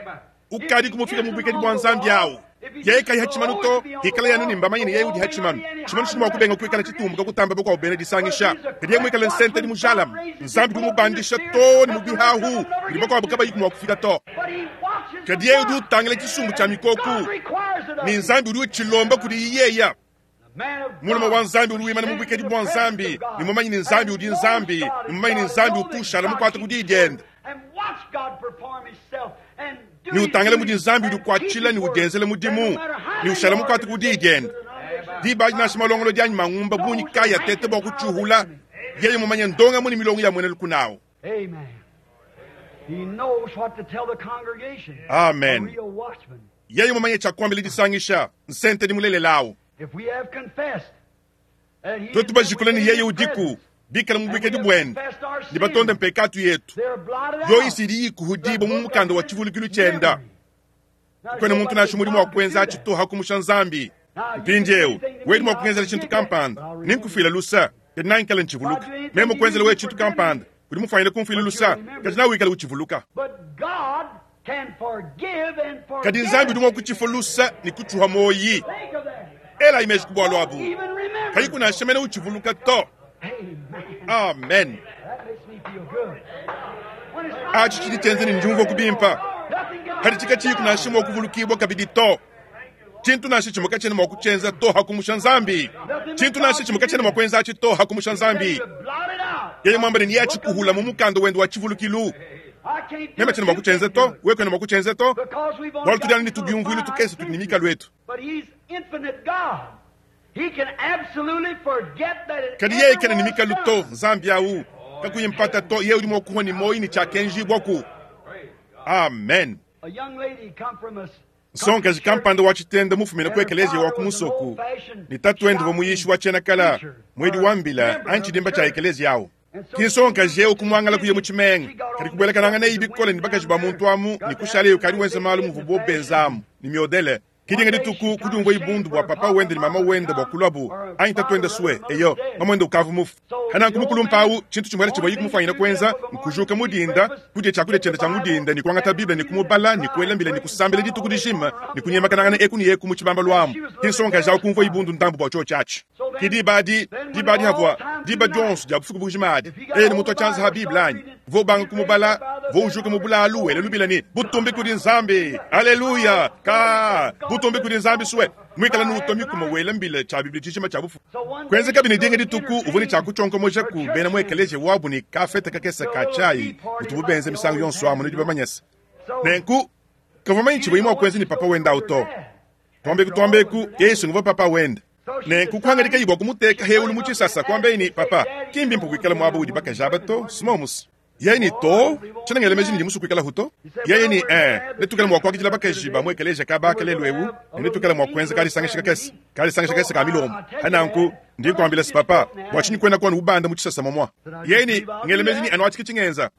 ukadi kumufika mubwikedi bwa nzambi awo yeye kai hachimanu to hikala yanu ni mbamanye ni yeye udi hachimanu chimanu chimwa kubenga kuikala chitumbuka kutamba bokwa ubene disangisha kadiye mwikala nsente di mujalam nzambi kumubandisha to ni mubihahu ndi bokwa bukaba yikumwa kufika to kadiye udi utangila chisumbu cha mikoku ni nzambi udi uchilomba kudi iyeya muluma wa nzambi uri wimana mubwikedi bwa nzambi ni mumanyi ni nzambi udi nzambi ni mumanyi ni nzambi utushala mukwata kudi idienda ni utangile mudi nzambi udi kuatshila ni udenzele mudimu ni ushala mukwata kudi idienda dibaji nasha malongolo dianyi mangumba bunyi kaya tete bwa kuchuhula yeye mumanye ndonga muni milongo ya mwene lukunawo amen yeye mumanye chakwambile disangisha nsente di mulelelawo twetu bajikula ni yeye udiku bikala mubwikedi bwene ni batonde mpekatu yetu yo isili yikuhudibo mu mukanda wa chivulikilu chenda kwene muntu nasho mulimu wa kwenza achitoha kumusha nzambi mpindiewu wedi mwa kungenzela chintu kampanda ninkufila lusa kadi nankala nchivuluka meme kwenzela we chintu kampanda kudi mufanyile kumfila lusa kadi nawikala uchivuluka kadi nzambi udi mwa kuchifa lusa ni kuchuha moyi ela imeji kubwalo abu kayi kunashemene uchivuluka to amen achi chili chenze ni njumvo kubimpa kadi chika chiyi kunashimwa okuvulukibwa kabidi to chintu nashe chimoka chene mwakuchenza to hakumusha nzambi chintu nashe chimoka chene mwakwenza achi to hakumusha nzambi yeye mwamba ni yachikuhula mu mukanda wendo wa chivulukilu meme chene mwakuchenza to wekwene mwakuchenza to bwalo tudyani ni tubyumvwilu tukese tudinimika lwetu kadi yeye kene ni mikalu to nzambi awu kakuyimpata to yeye udi mwakuhwa ni moyi ni chakenjibwaku amen nsonga jikampanda wa chitenda mufumina ku ekelezia wa kumusoku ni tatuende vomuyishi wa chenakala mwedi wa mbila anchidimba cha ekelezia awo kinsonga jeu kumwangala kuye muchimenga kadi kubwelekananga neyi bikole ni bakaji ba muntu amu ni kushaleyo kadi wenza malu muvu bobenzamu ni miodele kidinga dituku kudungwa ibundu bwa papa wende ni mama wende bwa kulwabu anyi tatuende suwe eyo mamwende ukavu mufu hananku mukulumpawu chintu chimwele chibwa yikumufanyira kwenza nkujuka mudinda kudya chakudya chenda cha mudinda ni kuangata biblia ni kumubala ni kuelambila ni kusambila dituku dishima ni kunyemakanangana eku ni eku muchibamba lwamu kinsonga jawu kumvwa ibundu ndambu bwa cho chachi kidibadi dibadi havwa diba dionso dia bufuku bujimadi eye ni mutu achanza ha biblia anyi vobanga kumubala voujuka mubulalu wele lubila ni butumbi kudi nzambi aleluya ka butumbi kudi nzambi suwe mwikala ni utomi kuma wele mbile cha biblia chishima cha bufu kwenze kabini dinga dituku uvuni cha kuchonkomoja ku bena mwekeleje wabu ni kafete kakesa ka chai utubu benze misango yonso amu nidi bamanyesa nenku kavama inchi bwima kwenze ni papa wenda uto twambeku twambeku yesu nguva papa wenda nenku kuhangalika yibwa kumuteka heulu muchisasa kwambeini papa kimbi mpukwikala mwabu udi bakajaba to simomusi yeye ni to tshinangele meji ni musu kuikala huto yeye ni eh netukala mwa kwakijila bakaji ba mwekeleja ka bakelelo ewu netukala mwa kwenza kali sangisha kesi kali sangisha kesi ka milomo hananku ndi kwambila si papa bwachinyi kwenda kwanu ubanda muchisasa momwa yeye ni ngele meji ni anwachiki chingenza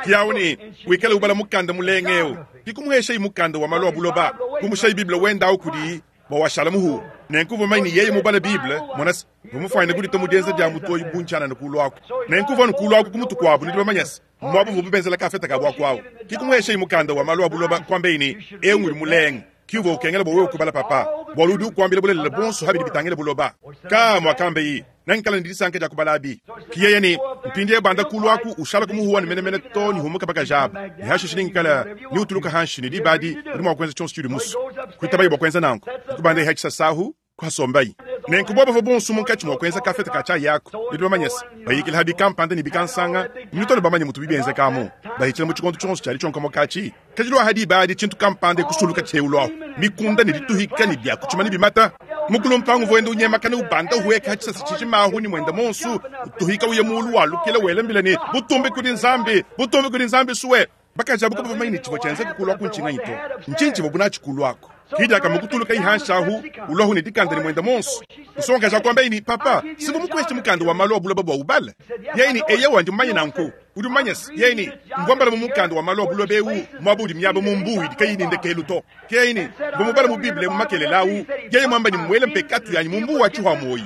kiyawu ni wikale ubala mukanda mulengeu kikumuhesha imukanda wa malo abuloba kumusha ibiblia wenda ukudi bwawashala muhu nenkuva maini yeye mubala bible monasi vumufwanyine kudi tomudienza dia mutoyi bunchana nikulwaku nenkuva nikulwaku kumutu kwabu nidi bamanyasi mwabu vububenzela kafeta kabwa kwawu kikumuhesha imukanda wa malo abuloba kwambeini eu nguli mulenga kiuva ukengela bowe ukubala papa bwaludi ukwambila bulelela bonso habidi bitangile buloba ka mwakambe yi Nangikala ne disanka dia kubalabi. Kiyeye ne mpindie banda kulu aku ushala kumuhuwa ne menemene to ne humuka bakajaba. Ne hashishe ningikala ni utuluka hanshi ne dibadi udi mua kuenza tshionso tshidi musu. Kuitabayi bua kuenza nanku. Kubanda ihachisa sahu kwasombayi. Nenku bobo bavua bonso munkatshi mua kuenza kafeta ka chai yako. Nidi bamanyese bayikila habi kampanda ne bikansanga. Nitolo bamanye mutu bibienzekamo. Bayikila mu tshikondo tshionso tshiali tshionka kachi. Kajilwa hadi badi tshintu kampanda kusuluka tsheulwa. Mikunda ne dituhika ne bya kuchima ne bimata. Mukulu mpangu voenda unyemakana ubanda uweka hachisasa chichimahu ni mwenda monsu. Utuhika uye mulu walukila welembile ni butumbi kuli Nzambi, butumbi kuli Nzambi suwe. Bakajabu kuba bamanye ni chivo chenze kukulwa kunchinga ito. Nchinchi bobuna chikulwako. Kija kamukutuluka ihanshahu ulohu ni dikanda ni mwenda monsu. Nsonga ja kwamba ini papa sibu mukwesti mukanda wa malo abula baba ubale. Yeni eye wandi manye nanku. Udi manyes yeni mvambala mukanda wa malo abula bewu mwabudi myabo mumbuyi dikayini ndekelu to. Yeni mbomubala mu Bible mu makelelawu. Yeye mwamba ni mwele mpekatu yanyi mumbu wa chuha moyi.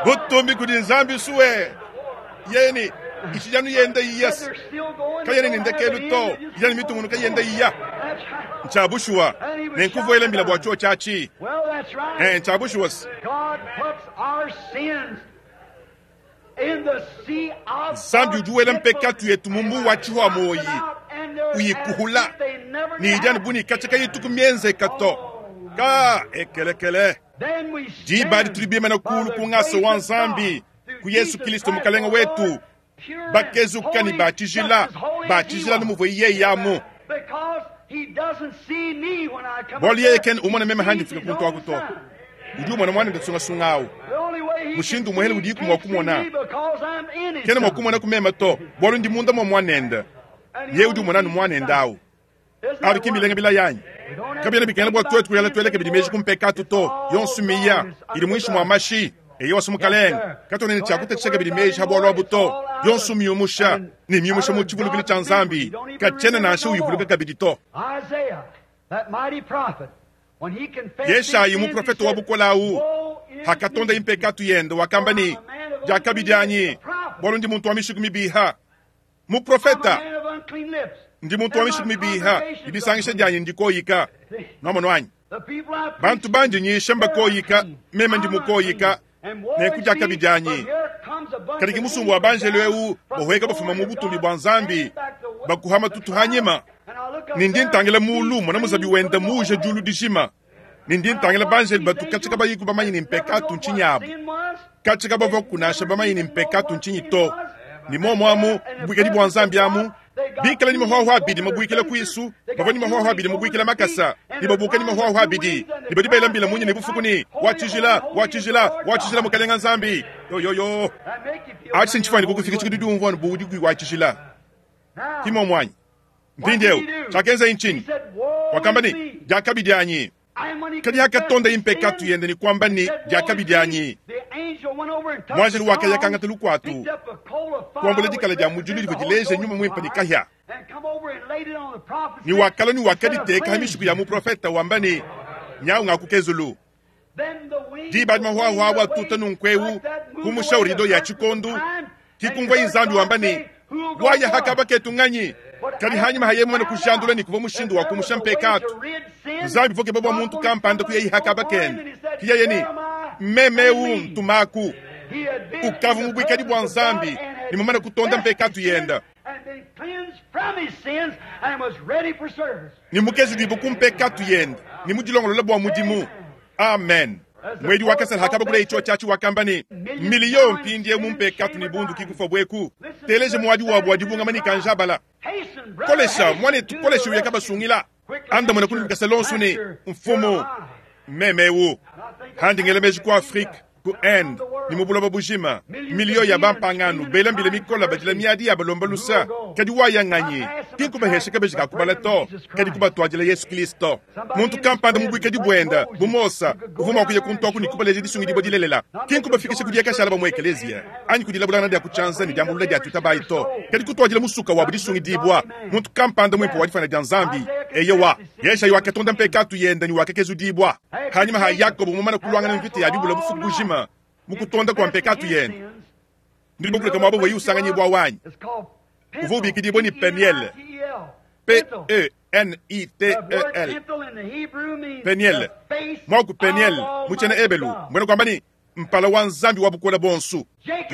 Butumbi kudi Nzambi suwe. Yeni ichijanu yenda yes. Kayene ndekelu to. Yani mitungunu kayenda iya. Nchabushwa nenkuvoela mbila bwa cho chachi. Well, that's right. Eh nchabushwa. God puts our sins in the sea of Zambi ujuwela mpekatu yetu mumbu wa chihwa moyi. Uyikuhula. Ni ijani buni kachaka yetu kumienze kato. Ka ekelekele. Dibadi tulibima na kulu kungasa wa Nzambi ku Yesu Kristo mukalenga wetu. Bakezuka ni bachijila, bachijila numuvwe iye yamu. Bwali yeye ken umona meme handi fika kuntu akuto. Udi umona mwana ndatsunga sungawu. Mushindu muhele udi kumwa kumona. Kena mwa kumona kumema to. Bwali ndi munda mwa mwanenda. Ye udi umona nu mwanenda awu. Abi kimbilenga bila yanyi. Kabila bikena bwa twetu kuyala tweleke bidimeji kumpekatu to. Yonsu miya. Ili mwishi mwa mashi. Eyo wasumukalenga. Katone ni chakuta cheka bidimeji habwa lwabuto. Yonsu miyumusha. Ni miyumusha mu chivulukili cha Nzambi. Kachena na ashu uyivuluka kabidi to. Isaiah, that mighty prophet, when he confessed Yeshayi his sins, muprofeto he wa said, bukolawu. "Woe is Hakatonda me, impekatu yende wakamba ni jakabidanyi. Bwalo ndi muntu wa mishiku mibiha. Muprofeta I'm a man of unclean lips. ndi muntu wa mishiku mibiha. Ibisangisha dyanyi ndikoyika. Nomo wanyi. The people I preach Bantu banji nyisha mbakoyika, meme ndi mukoyika. Nenku jakabidanyi. Kadiki musumbu wa banjelo eu bohweka bafuma mu butumbi bwa Nzambi bakuhama tutu hanyima. Nindi ntangela mulu mwana muzabi wenda muje julu dishima. Nindi ntangela banjelo batu kachika bayiku bamanyi ni mpekatu nchinyabo. Kachika bavo kunasha bamanyi ni mpekatu nchinyi to. Ni momo amu bwikeli bwa Nzambi amu. Bikala ni mahwaho abidi mabwikela kwisu, bavo ni mahwaho abidi mabwikela makasa, ni babuka ni mahwaho abidi, ni badi bailambila munyi ni bufukuni, wachijila, wachijila, wachijila mukalenga Nzambi. Yo yo yo. Achi nchifani kukufika chikudu umvano budi kui wachijila. Kimo mwanyi. Mpindeu, chakenza inchini. Wakamba ni, jakabidanyi. Kadi hakatonda impekatu yende ni kwamba ni jakabidanyi. Mwanjelu wake yakanga lukwatu. Kuambula dikala dia mujulu livyo dileje nyuma mwimpa ni kahya. Ni wakala ni wakaditeka hamishiku ya muprofeta wamba ni nyau ngakukezulu. Dibadi mahwahwa wa tuta nunkwewu kumushaurido ya chikondu. Kikungwa inzambi wamba ni waya hakaba ketu nganyi. Kadi hanyuma haye mwana kushandula ni kuva mushindu wa kumusha mpekatu. Nzambi voke babwa muntu kampanda kuyeyi hakaba kende. Kiyeye ni memeu ntumaku. Ukavu mubwikadi bwa Nzambi ni mumana kutonda mpekatu yenda. Ni mukezi dibu kumpekatu yenda. Ni mujilongolola bwa mudimu. Amen. Mwedi wakasala hakaba kule icho chachi wakamba ni miliyo mpindie mumpekatu ni bundu kikufa bweku. Teleje mwadi wabwa dibunga mani kanjabala. Kolesha mwane tukolesha uyakaba sungila. Anda mwana kuni mkaselonsu ni mfumo memewu. Handi ngelemeji ku Afrika ku Inde ni mubuloba bujima miliyo ya bampanganu bela mbile mikola badila miadi ya balomba lusa kadi wayang'anyi kinkubahesha kabeji kakubala to kadi kubatwajila Yesu Kristo muntu kampanda mubwikadi bwenda bumosa uvuma kuya kuntoku ni kubaleje disungidibwa dilelela kinkubafikisha kudiya kashala bamwe eklezia anyi kudilabulana dia kuchanza ni diambulula dia tutabayi to kadi kutwajila musuka wabu disungidibwa muntu kampanda mwimpo wadifana dia Nzambi eyewa Yeshayi wakatonda mpekatu yenda ni wakekezudibwa hanyuma ha Yakobo mumana kulwangana mvita ya bibula bufuku bujima mukutonda kwa mpekatu yenda ndili bokuleka mwabo weyi usanganyibwa wanyi uvubikidibwa ni Peniel P E N I T E L Peniel mwaku Peniel muchena ebelu mbwena kwamba ni mpala wa nzambi wa bukola bonsu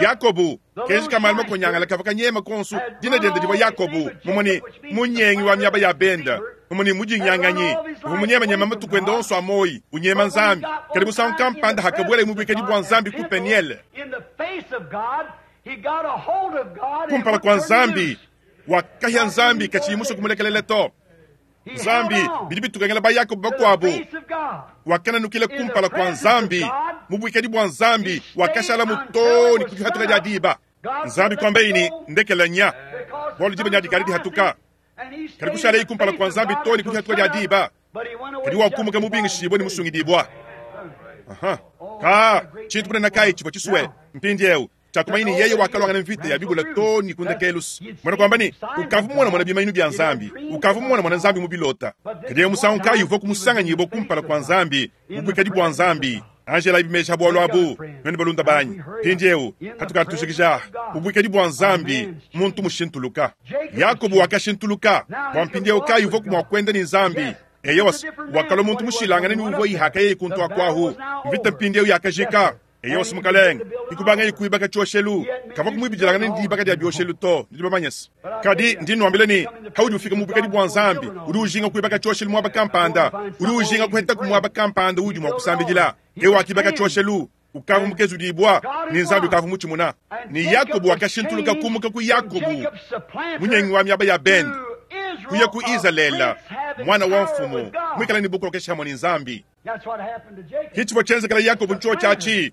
Yakobu kenji kamali makonyangala kava kanyema konsu dina diende divwa Yakobu mumoni munyengi wa miaba ya benda mumoni mujinyanganyi vumunyemanyema matukwenda onso amoyi unyema nzambi kadi musangu kampanda hakabwela imubwikadi bwa nzambi ku Peniel kumpala kwa nzambi wakahya nzambi kachiyimusa kumulekelele to nzambi bidi bitukangela ba Yakobo bakwabo wakananukile kumpala kwa nzambi mubwikadi bwa nzambi wakashala mutoni kudihatuka dia diba nzambi kwamba ini ndekela nya bwalu diba nya dikali dihatuka kadi kushala ikumpala kwa nzambi toni kudihatuka dia diba kadi wakumuka mubingishibwe ni musungidibwa aha ka chintu kunena kai chibwa chiswe mpindi eu chakumaini yeye wakalwangana mvita ya bibula toni kundekelus mwana kwamba ni ukavu mwana mwana bimainu bya nzambi ukavu mwana mwana nzambi mubilota kadi musangu kai uvo kumusanga kumpala kwa nzambi mubwikadi bwa nzambi Angela ibimesha bwalo abu nweni balunda banyi pindi eu hatukatushikisha mubwikadi bwa nzambi muntu mushintuluka Yakobo wakashintuluka bwa mpindi eu kai uvo kumwakwenda ni nzambi eye wakalo muntu mushilangana ni uvo ihaka yeye kuntu akwahu mvita mpindi eu yakajika eyo simukalenge ikubanga ikuibaka choshelu kava kumwibidilangana ndi ibaka dia bioshelu to ndi bamanyesa kadi ndi nwambile ni haudi ufika mubwikadi bwa nzambi udi ujinga kuibaka choshelu mwaba kampanda udi ujinga kuheta kumwaba kampanda udi mwa kusambidila ewa akibaka choshelu ukavu mukezu dibwa ni nzambi ukavu muchimuna ni Yakobo wakashintuluka kumuka ku Yakobo munyengi wa miaba ya bend kuya ku Israela mwana wa mfumu mwikala ni bukolokesha hamwe ni nzambi hichivo chenzekela Yakobo ncho chachi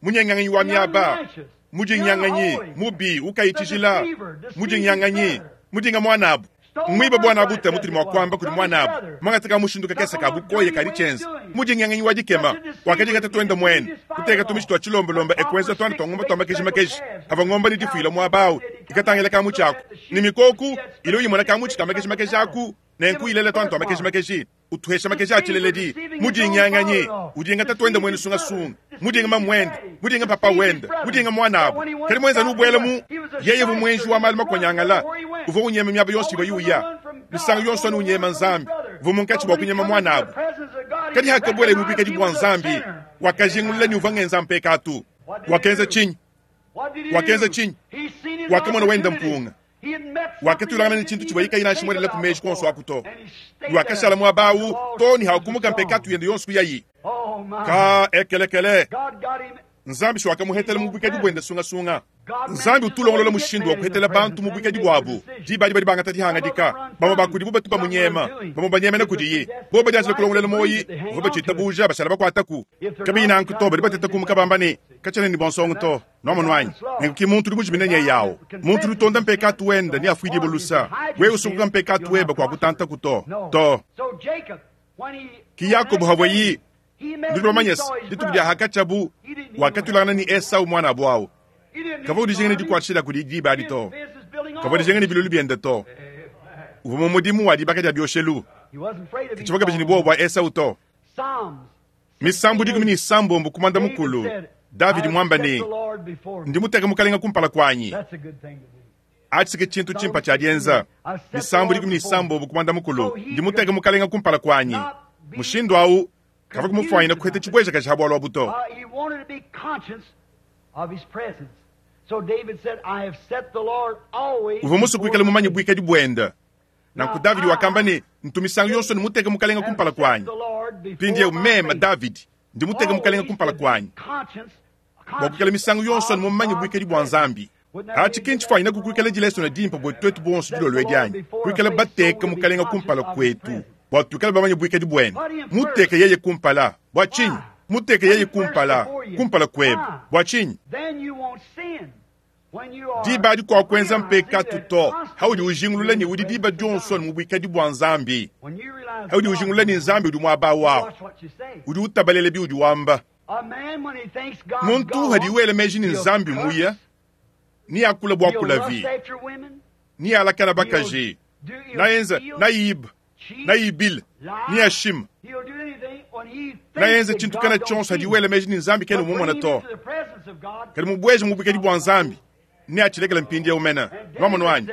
munyenganyi wa miaba mujinyanganyi mubi ukaichijila mujinyanganyi mujinga mwanabu mwiba bwana buta mutuli mwakwamba kuli mwanabu mwangataka mushinduka kesa kabukoye kali chenza mujinyanganyi wa dikema wakajinga tatwenda mwene kuteka tumishi twa chilombolomba ekwenza twana twa ng'omba twa makeji makeji ava ng'omba ni difuila mwabawu ikatangela kamu chako ni mikoku ilo yimona kamu chika makeji makeji aku nenku ilela twana twa makeji makeji utuhesha makeji achileledi mujinyanganyi udinga tatwenda mwene sungasunga mudinga mamwenda mudinga papa wenda mudinga mwanabo kali mwenza nubwela mu yeye vumwenji wa mali makonyangala uvo unyema myaba yonsi iba yuya misango yonso anu unyema nzambi vumunkachi bwa kunyema mwanabo kadi hakabwela imubikadi bwa nzambi wakajingulula ni uva ngenza mpekatu wakenza chinyi wakenza chinyi wakamona wenda mpunga wakatulangana ni chintu chibayika ina shimwelela kumeshi konso akuto wakashala mwabawu toni hakumuka mpekatu yende yonso kuyayi ka ekelekele nzambi shwakamuhetela mubwikadi bwende sungasunga nzambi utulongolola mushindu wa kuhetela bantu mubwikadi bwabu dibadi badi bangata dihangadika bamwe bakudi bo batu bamunyema bamwe banyemena kudiyi bo badianzile kulongolela moyi vo bacitabuja bashala bakwataku kabi nanku to badi bateta kumuka bamba ni kachene ni bonsongo to nomonwanyi nenkuki muntu uli mujimine nye yawo muntu uli mpekatu wenda ni afwidi bolusa we usunguka mpekatu weba kwa kutanta kuto to ki Yakobo habweyi ndi bamanyesa dituku dia hakachabu wakatulangana ni Esau mwana bwawo kava udijengene dikwatshila kudi diba adi to kava udijengene bilulu biende to uva mu mudimu wa dibaka dia bioshelu kichibaka bijini bwobo bwa Esau to misambu dikumi ni sambombo kumanda mukulu David mwamba ni ndi muteka mukalenga kumpala kwanyi atsike chintu chimpa chadienza misambu dikumi ni sambombo kumanda mukulu ndi muteka mukalenga kumpala kwanyi mushindu awu kava kumufwanyina kuhete chibweja kachihabwalwa buto uva musu kuikala mumanyi bwikadi bwenda nanku Davidi wakamba ni ntumisango yonso ni muteka mukalenga kumpala kwanyi pindi eu mema Davidi ndi muteka mukalenga kumpala kwanyi bwa kuikala misango yonso ni mumanyi bwikadi bwa nzambi achi kinchi fwanyina kukuikala dileso na dimpa bwe twetu bonso dilolo edianyi kuikala bateka mukalenga kumpala kwetu bwa tuikala bamanyi bwikadi bwene muteka yeye kumpala bwa chinyi muteke yeye kumpala kumpala kwebe bwa chinyi diba adi kwa kwenza mpekatu to haudi ujingulula ni udi diba dionso ni mubwikadi bwa nzambi haudi ujingulula ni nzambi udi mwaba wawo udi utabalele bi udi wamba muntu hadi wele meji ni nzambi muya ni akula bwa kulavi ni alakana bakaji nayenza nayiba nayibila ni ashima nayenza chintu kana chonso hadi wele meji ni nzambi kene umumona to kadi mubweje mubwikadi bwa nzambi ni achilekela mpindi yaumena nwamonwanyi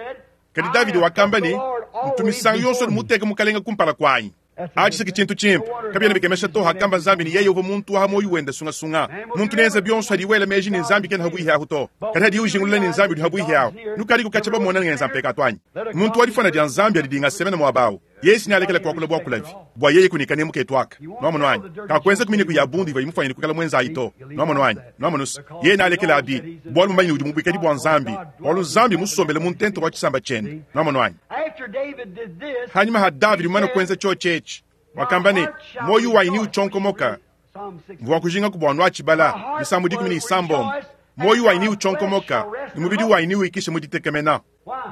kadi Davidi wakamba ni Ntu misangu yonso muteke mukalenga kumpala kwanyi. Achi tshintu chimpe kabyena bikemesha to hakamba nzambi ni yeye uva muntu wa moyo wenda sungasunga. Muntu nenza byonso hadiwela meji ni nzambi kena habuihi aho to. Kadi hadi ujingulula ni nzambi habuihi aho. Nukali kukacha bamona ngenza mpeka twanyi. Muntu walifana dia nzambi alidinga semena mwabawo. Yesu nalekela kwa kula bwa kulavi. Bwa yeye kunikane muketwaka. Nwamono wanyi. Kakwenza kumini kuyabundi va imufanya kukala mwenza ito. Nwamono wanyi. Nwamono yeye nalekela abi. Bwa lumanyi udi mubikadi bwa nzambi. Bwa nzambi musombele muntento wa chisamba chene. Nwamono wanyi. Hanyuma ha David mwana kwenza chochechi. Wakamba ni moyo wa ini uchonkomoka. Mvua kujinga kubwanwa chibala misambu dikumi ni isambombo. Moyo wa ini uchonkomoka ni mubidi wa ini uikishe muditekemena.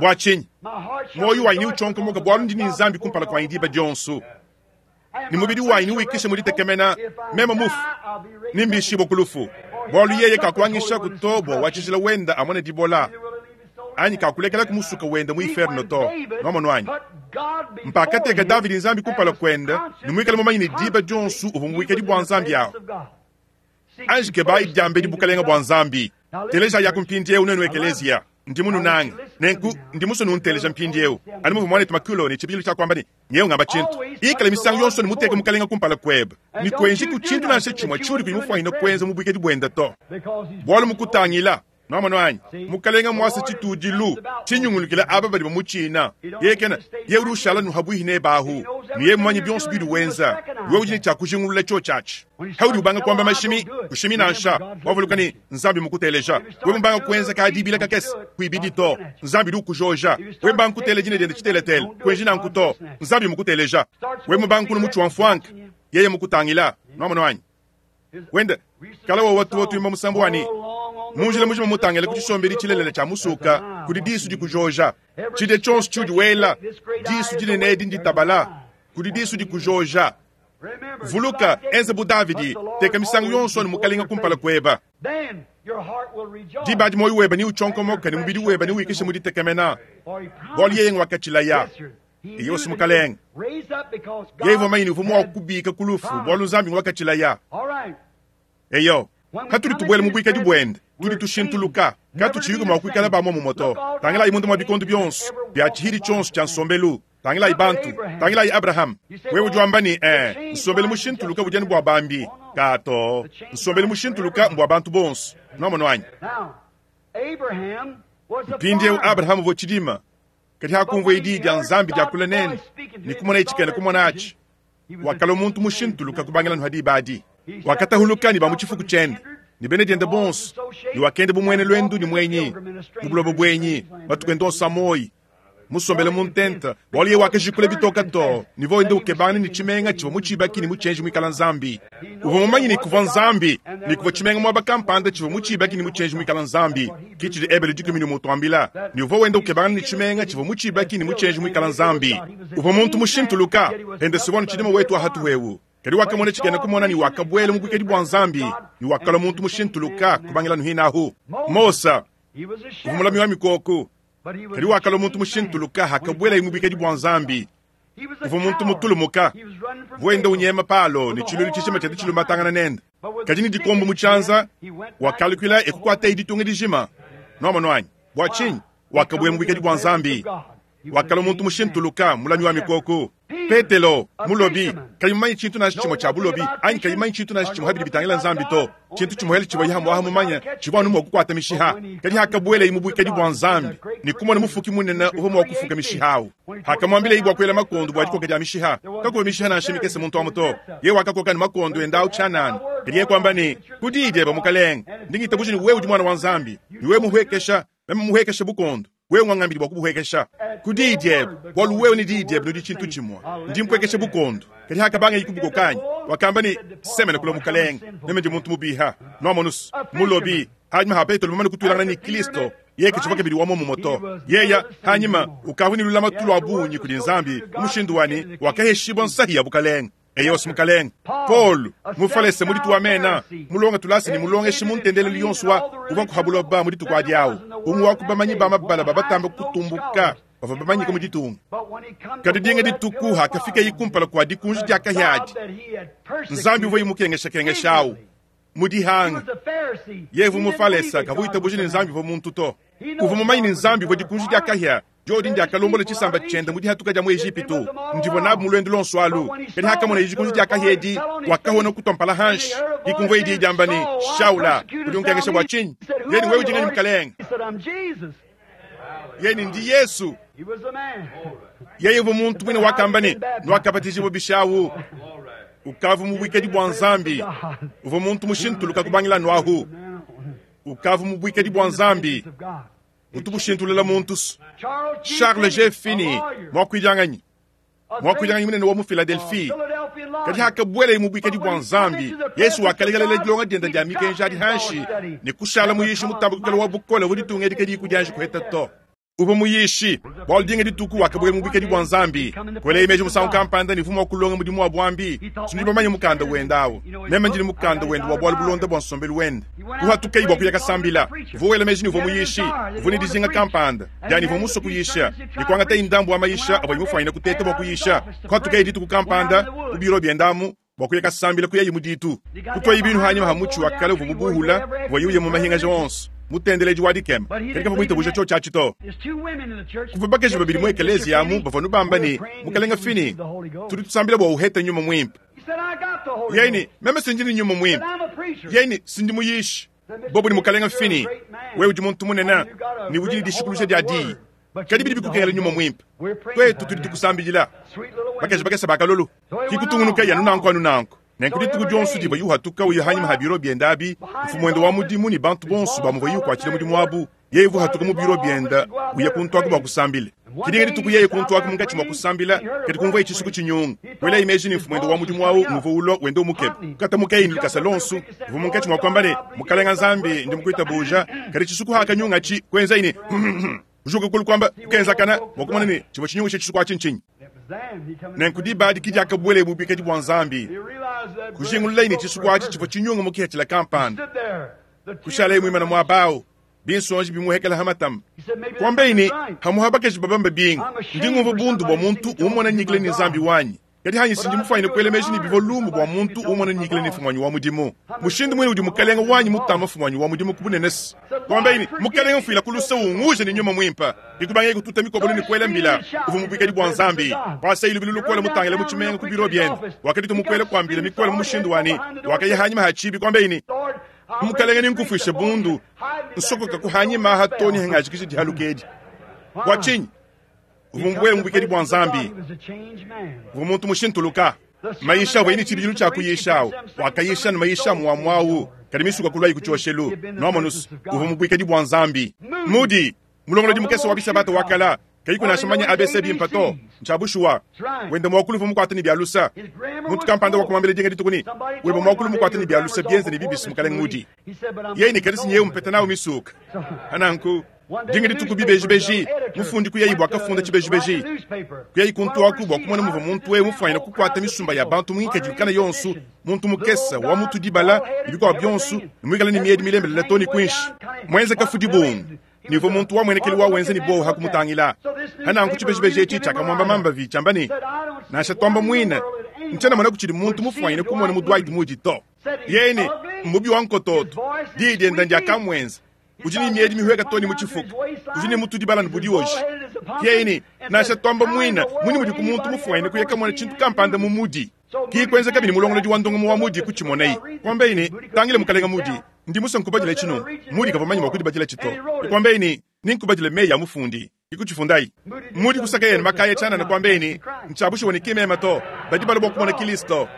Bwa chinyi moyo wa ini uchonkomoka bwa lundi ni nzambi kumpala kwa indiba dionsu. Ni mubidi wa ini uikishe muditekemena mema mufu nimbishibo kulufu. Bwa luyeye kakwangisha kutobwa wachishila wenda amone dibola. Anyi kakulekela kumusuka wenda mu inferno to. Nwamono wanyi. Mpaka teka David nzambi kumpala kwenda nimwikala mumanyi ni diba dionsu uvu muwikedi bwa nzambi awo. Anji kebayi dyambe dibukalenga bwa nzambi. Teleja yakumpindiewu nenu ekelezia. Ndi munu nange. Nenku ndi muso nunteleja mpindiewu. Ani muvu mwane tumakulo ni chibilu cha kwamba ni nyewe ngamba chintu. Ikala misango yonso ni muteke mukalenga kumpala kweba. Ni kwenji kuchintu nansha chimwa churi kuimufwa ino kwenza mubwikedi bwenda to. Bwalu mukutangila. Nwamono wanyi. Mukalenga mwasa chitudilu. Chinyungulukila aba bali bamuchina. Yekena ye urushala nuhabuhi nebahu. Niye mwanyi byonso bidu wenza. Wewe ujini cha kujingulula cho chachi. Haudi ubanga kwamba mashimi kushimi nansha. Wavuluka ni nzambi mukuteleja. Wewe mbanga kwenza ka dibila kakesi kuibidi to. Nzambi du kujoja. Wewe mbanga kuteleja ne dende chiteletele. Kwenjina nkuto. Nzambi mukuteleja. Wewe mbanga kunu muchu wamfwanka. Yeye mukutangila. Nwamono wanyi. Wenda kala wa watu watu imba musambu wani. Munjila mujima mutangele kuchishombeli chilelele cha musuka kudi disu di kujoja. Chide chonso chudi wela disu dine nedi ndi tabala kudi disu di kujoja. Vuluka enze bu Davidi teka misangu yonso ni mukalinga kumpala kweba. Dibadi moyo weba ni uchonkomoka ni mubidi weba ni uikishe muditekemena. Bwali yeye ngwakachilaya. Iyo simukalenga. Yeye voma ini uvumu kubika kulufu bwalu nzambi ngwakachilaya. Eyo katuli tubwele mubwika dibwende tuli tushintuluka katuchiyuka mwakwikala bamwe mumoto tangela imundu mwa bikondo byonso bya chihiri chonso cha nsombelu tangela ibantu tangela i Abraham wewe ujwamba ni eh nsombelu mushintuluka bujani bwa bambi kato nsombelu mushintuluka mbwa bantu bonso nwamono wanyi. Mpindiewu Abraham vochidima kati hakumva idi dia nzambi dia kula nene ni kumona ichikene kumona achi wakala muntu mushintuluka kubangela nuhadi badi wakatahuluka ni bamuchifuku chende ni bene diende bonso ni wakende bumwene lwendu ni mwenyi mubulobo bwenyi batukwenda onsa moyi musombele muntenta bwaliye wakajikule bitoka to ni voinde ukebana ni chimenga chivo muchibaki ni muchenji mwikala nzambi uvo mumanyi ni kuva nzambi ni kuva chimenga mwaba kampanda chivo muchibaki ni muchenji mwikala nzambi kichili ebele dikumi ni mutuambila ni uvo wende ukebana ni chimenga chivo muchibaki ni muchenji mwikala nzambi uvo muntu mushintuluka ende sibona chidima wetu ahatu wewu kadi wakamona chikene kumona ni wakabwele mubwikedi bwa nzambi ni wakala muntu mushintuluka kubangila nuhinahu Mosa uvumulami wa mikoko kadi wakala muntu mushintuluka hakabwela imubwikedi bwa nzambi uvu muntu mutulumuka vuenda unyema palo ni chilulu chishima chete chilumatangana nende kadi ni dikombo muchanza wakalukwila ekukwata iditunga dijima nwamono wanyi bwa chinyi wakabwela mubwikedi bwa nzambi wakala muntu mushintuluka mulami wa mikoko Petelo mulobi kayimanyi chintu na chimo cha bulobi anyi kayimanyi chintu na chimo habili bitangila nzambi to chintu chimo heli chibo yahamu ahamu manya chibo anu mwakukwata mishiha kadi hakabwele imubwikedi bwa nzambi ni kumona mufuki munene uho mwakufuka mishihawu hakamwambile ibwa kwela makondo bwa dikoka dia mishiha kakuba mishiha na nshimikese muntu wa muto ye wakakoka ni makondo endawu chanana kadi ye kwamba ni kudidye bamukalenga ndingitabuji ni wewe udi mwana wa nzambi ni wewe muhwekesha meme muhwekesha bukondo wewe ngwangambili bwa kubuhwekesha kudidye bwalu wewe ni didye nudi chintu chimwa ndi mpwekeshe bukondo kadi hakabanga ikubukokanyi wakamba ni semene kula mukalenga meme ndi muntu mubiha nwamonus mulobi hanyuma ha Petelo mumane kutwilangana ni Kristo yeke chivoke bili wamo mumoto yeya hanyuma ukavunilula matulu abunyi kuli nzambi umushindu wani wakaheshibwa nsahi ya bukalenga eyo simukalenga Paul mufalese mulitu amena mulonga tulasi ni mulongeshi muntendelelo yonso wa uva nkuhabuloba mulitu kwa diawu umwe wakubamanyi bamabala babatamba kutumbuka bava bamanyika muditunga kadi dinga dituku hakafika ikumpala kwa dikunji diakahyadi nzambi uva imukengeshakengeshawu mudihanga yevu mufalesa kavuita bujini nzambi vo muntu to uva mumanyi ni nzambi vo dikunji diakahya Diodi ndiakalombola tshisamba tshiende mu dihatuka dia mu Ejipitu. Ndivua nabu mu luendu luonso alu. Kadi hakamona dikunji dia kahia edi, wakahona kutua mpala hanshi. Dikumvua idi diamba ne, Shaula, udi unkengesha bua tshinyi? Yeye wewe udi nganyi mukalenge? Yeye ndi Yesu. Yeye uvua muntu mwine wakamba ne, nwakabatijibwa bishawu. Ukavu mu bwikadi bua Nzambi. Uvua muntu mushintuluka kubangila nwahu. Ukavu mu bwikadi bua Nzambi. Mutu bushintulula muntu. Charles G. Finney, mwakuidianganyi. Mwakuidianganyi munene wa mu Philadelphie. Kadi hakabwela mu bwikadi bua Nzambi, Yesu wakalekelela dilonga dienda dia mikenji adi hanshi ne kushala muyishi mutambukukela wa bukole buditunga edi kadi kudianji kuheta to. Uvua muyishi bwalu dinga dituku wakabwela mu bwikadi bua Nzambi. Kwela imeji musangu kampanda ne vuma wa kulonga mudimu wa bwambi. Sindi bamanye mukanda wenda awu. Meme ndini mukanda wenda wa bwalu bulonda bwa nsombelu wenda. Kuhatuka bwa kuya kasambila. Uvua wela meji ni uvua muyishi. Uvua ne dizinga kampanda. Yani uvua muso kuyisha. Ni kuangata indambu wa mayisha avua imufanyina kuteta bwa kuyisha. Kuhatuka dituku kampanda ku biro byendamu bwa kuya kasambila kuya imuditu. Kutwa ibinu hanyuma ha muchi wa kale uvua mubuhula uvua yuye mu mahinga onso. Mutendeleji wa dikema kadi kava muitabuja cho chachi to. Kuva bakeji babili mu ekelezia amu bavua nubamba ne mukalenga Finney tudi tusambila bua uheta nyuma mwimpe. Yeye meme sindi ni nyuma mwimpe. Yeye sindi muyishi. Bobo ni mukalenga Finney wewe udi muntu munene ni udi dishikulusha dia di. Kadi bidi bikukengela nyuma mwimpe. Twetu tudi tukusambila. Bakeji bakesa bakalolo. Kikutungunuka ya nunanko anunanko. Nenku dituku dionso diba yuhatuka uya hanyuma ha biro bienda abi, mfumu wenda wa mudimu ni bantu bonso bamuvua yukwatshila mudimu wabu, yeye vuhatuka mu biro bienda uya kuntwaka bua kusambila. Kidinga dituku yeye kuntwaka munkatshi mua kusambila, kadi kumvua itshisu kutshinyunga. Wela imeji ni mfumu wenda wa mudimu wawu muvua ulo wenda umukebe. Kata mukeyi ni lukasa lonso, uvua munkatshi mua kuamba ne, mukalenga Nzambi ndi mukuitabuja, kadi tshisuku hakanyunga tshi kwenza ine. Ujuka kulu kwamba kenzakana mwakumona ne tshivua tshinyungu tshe tshisuku atshi. Nenku diba diki diakabwele bubikadi bua Nzambi. Kujingulula ine tshisuku atshi tshivua tshinyunga mukihetshila kampanda. Kushala imwimana mwabawu. Binsonji bimuhekela hamatama. Kwamba ine hamuha bakeji babamba binga. Ndi ngumva bundu bua muntu umona nyikile ni Nzambi wanyi. Kadi hanyi sindi mufanyine kuela meji ni bivua lumu bua muntu umona nyikile ni mfumanyi wa mudimu. Mushindu mwene udi mukalenga wanyi mutama mfumanyi wa mudimu kubunenesi. Kwamba ine mukalenga mfuila kulusa unguje ni nyuma mwimpa. Ikubange kututa mikobolo ni kuela mbila. Uvu mubikadi bua Nzambi. Kwasa ilu bilu lukola mutangela muchimenga ku biro biende. Wakati tumukwela kwambila mikola mu mushindu wani. Wakaya hanyima hachibi kwamba ine mukalenga ni nkufishe bundu. Nsokoka kuhanyima hatoni hangajikishe dihalukedi. Kwa chinyi uvumbwele mubikedi bua Nzambi. Uvu muntu mushintuluka. Maisha wa ini chibijilu cha kuyishawo. Wakayisha na maisha muamwawu. Kadi misuka kulwa ikuchoshelu. Nomonus uvu mubikedi bua Nzambi. Mudi mulongolodi mukese wa bisabata wakala. Kayi kuna shomanya A B C bimpato. Nchabushwa. Wenda mwakulu vumu kwa tani bialusa. Muntu kampanda wa kumambele dinga ditukuni. Weba mwakulu mu kwa tani bialusa bienze ni bibisi mukalenga Mudi. Yeye ni kadisi nyewe mpeta nao misuka. Ananku dinga dituku bibeji beji. Mufundi kuyayi bwa kafunda chibeji beji. Kuyayi kuntu aku bwa kumona muva muntu we mufanyina kukwata misumba ya bantu mwinka jikana yonsu. Muntu mukesa wa mutu dibala ibikwa byonsu mwikala ni miedi milembe la toni kwinshi. Mwenze kafudi bungu. Nivo muntu wa mwenekeli wa wenze ni bo hakumutangila. Hana nkuchibeji beji echi chakamwamba mamba vi chambani. Nasha twamba mwina. Nchana mwana kuchiri muntu mufanyina kumona mu Dwight Moody to. Yene mubi wa nkototo. Didi ndanja kamwenza. Ujini miedi mihweka toni muchifuku. Ujini mutu dibala nbudi oji. Yene nasha twamba mwina. Mwini mudi kumuntu mufanyina kuyeka mwana chintu kampanda mu Mudi. Ki kwenza kabini mulongolodi wa ndongo wa Mudi kuchimonei. Kwamba ine tangile mukalenga Mudi. Ndi musa nkubajile chino. Mudi kavamanyi mwakudi bajile chito. Kwamba ine ninkubajile meya mufundi. Ikuchifundai. Mudi kusaka yene makaya chana na kwamba ine nchabusho wani kimema to. Badi balo bwa kumona Kristo.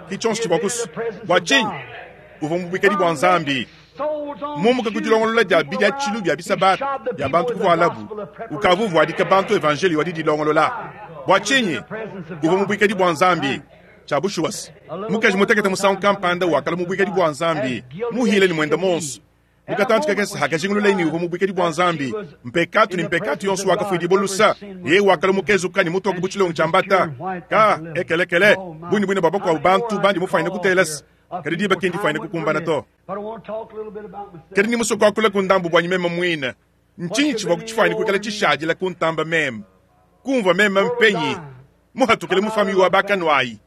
Kichonso chibakusu. Bwa chinyi. Uva mubikadi bwa Nzambi. Mumuka kujilongolola dia bidia chilu bia bisabata ya bantu kuvualabu. Ukavuvu adika bantu evangeli wadi dilongolola. Bwa chinyi. Uva mubikadi bwa Nzambi. Chabushuwas. Mukaji mutekete musangu kampanda wakala mubikadi bwa Nzambi. Muhile ni mwenda monso. Mukatantu kakesa hakajingulula ini uva mubikadi bwa Nzambi. Mpekatu ni mpekatu yonso wakafwidi bolusa. Ye wakala mukezuka ni mutu wakubuchilongo chambata. Ka ekelekele. Bwini bwini babako wa bantu bandi mufanyina kutelesa. Kadi diba kendi fanyina kukumbana to. Kadi ni musoko akula kundambu bwanyi mema mwina. Nchinyi chivwa kuchifanyina kukala chishajila kuntamba mema. Kumva mema mpenyi. Muhatukele mufami wa bakanwai.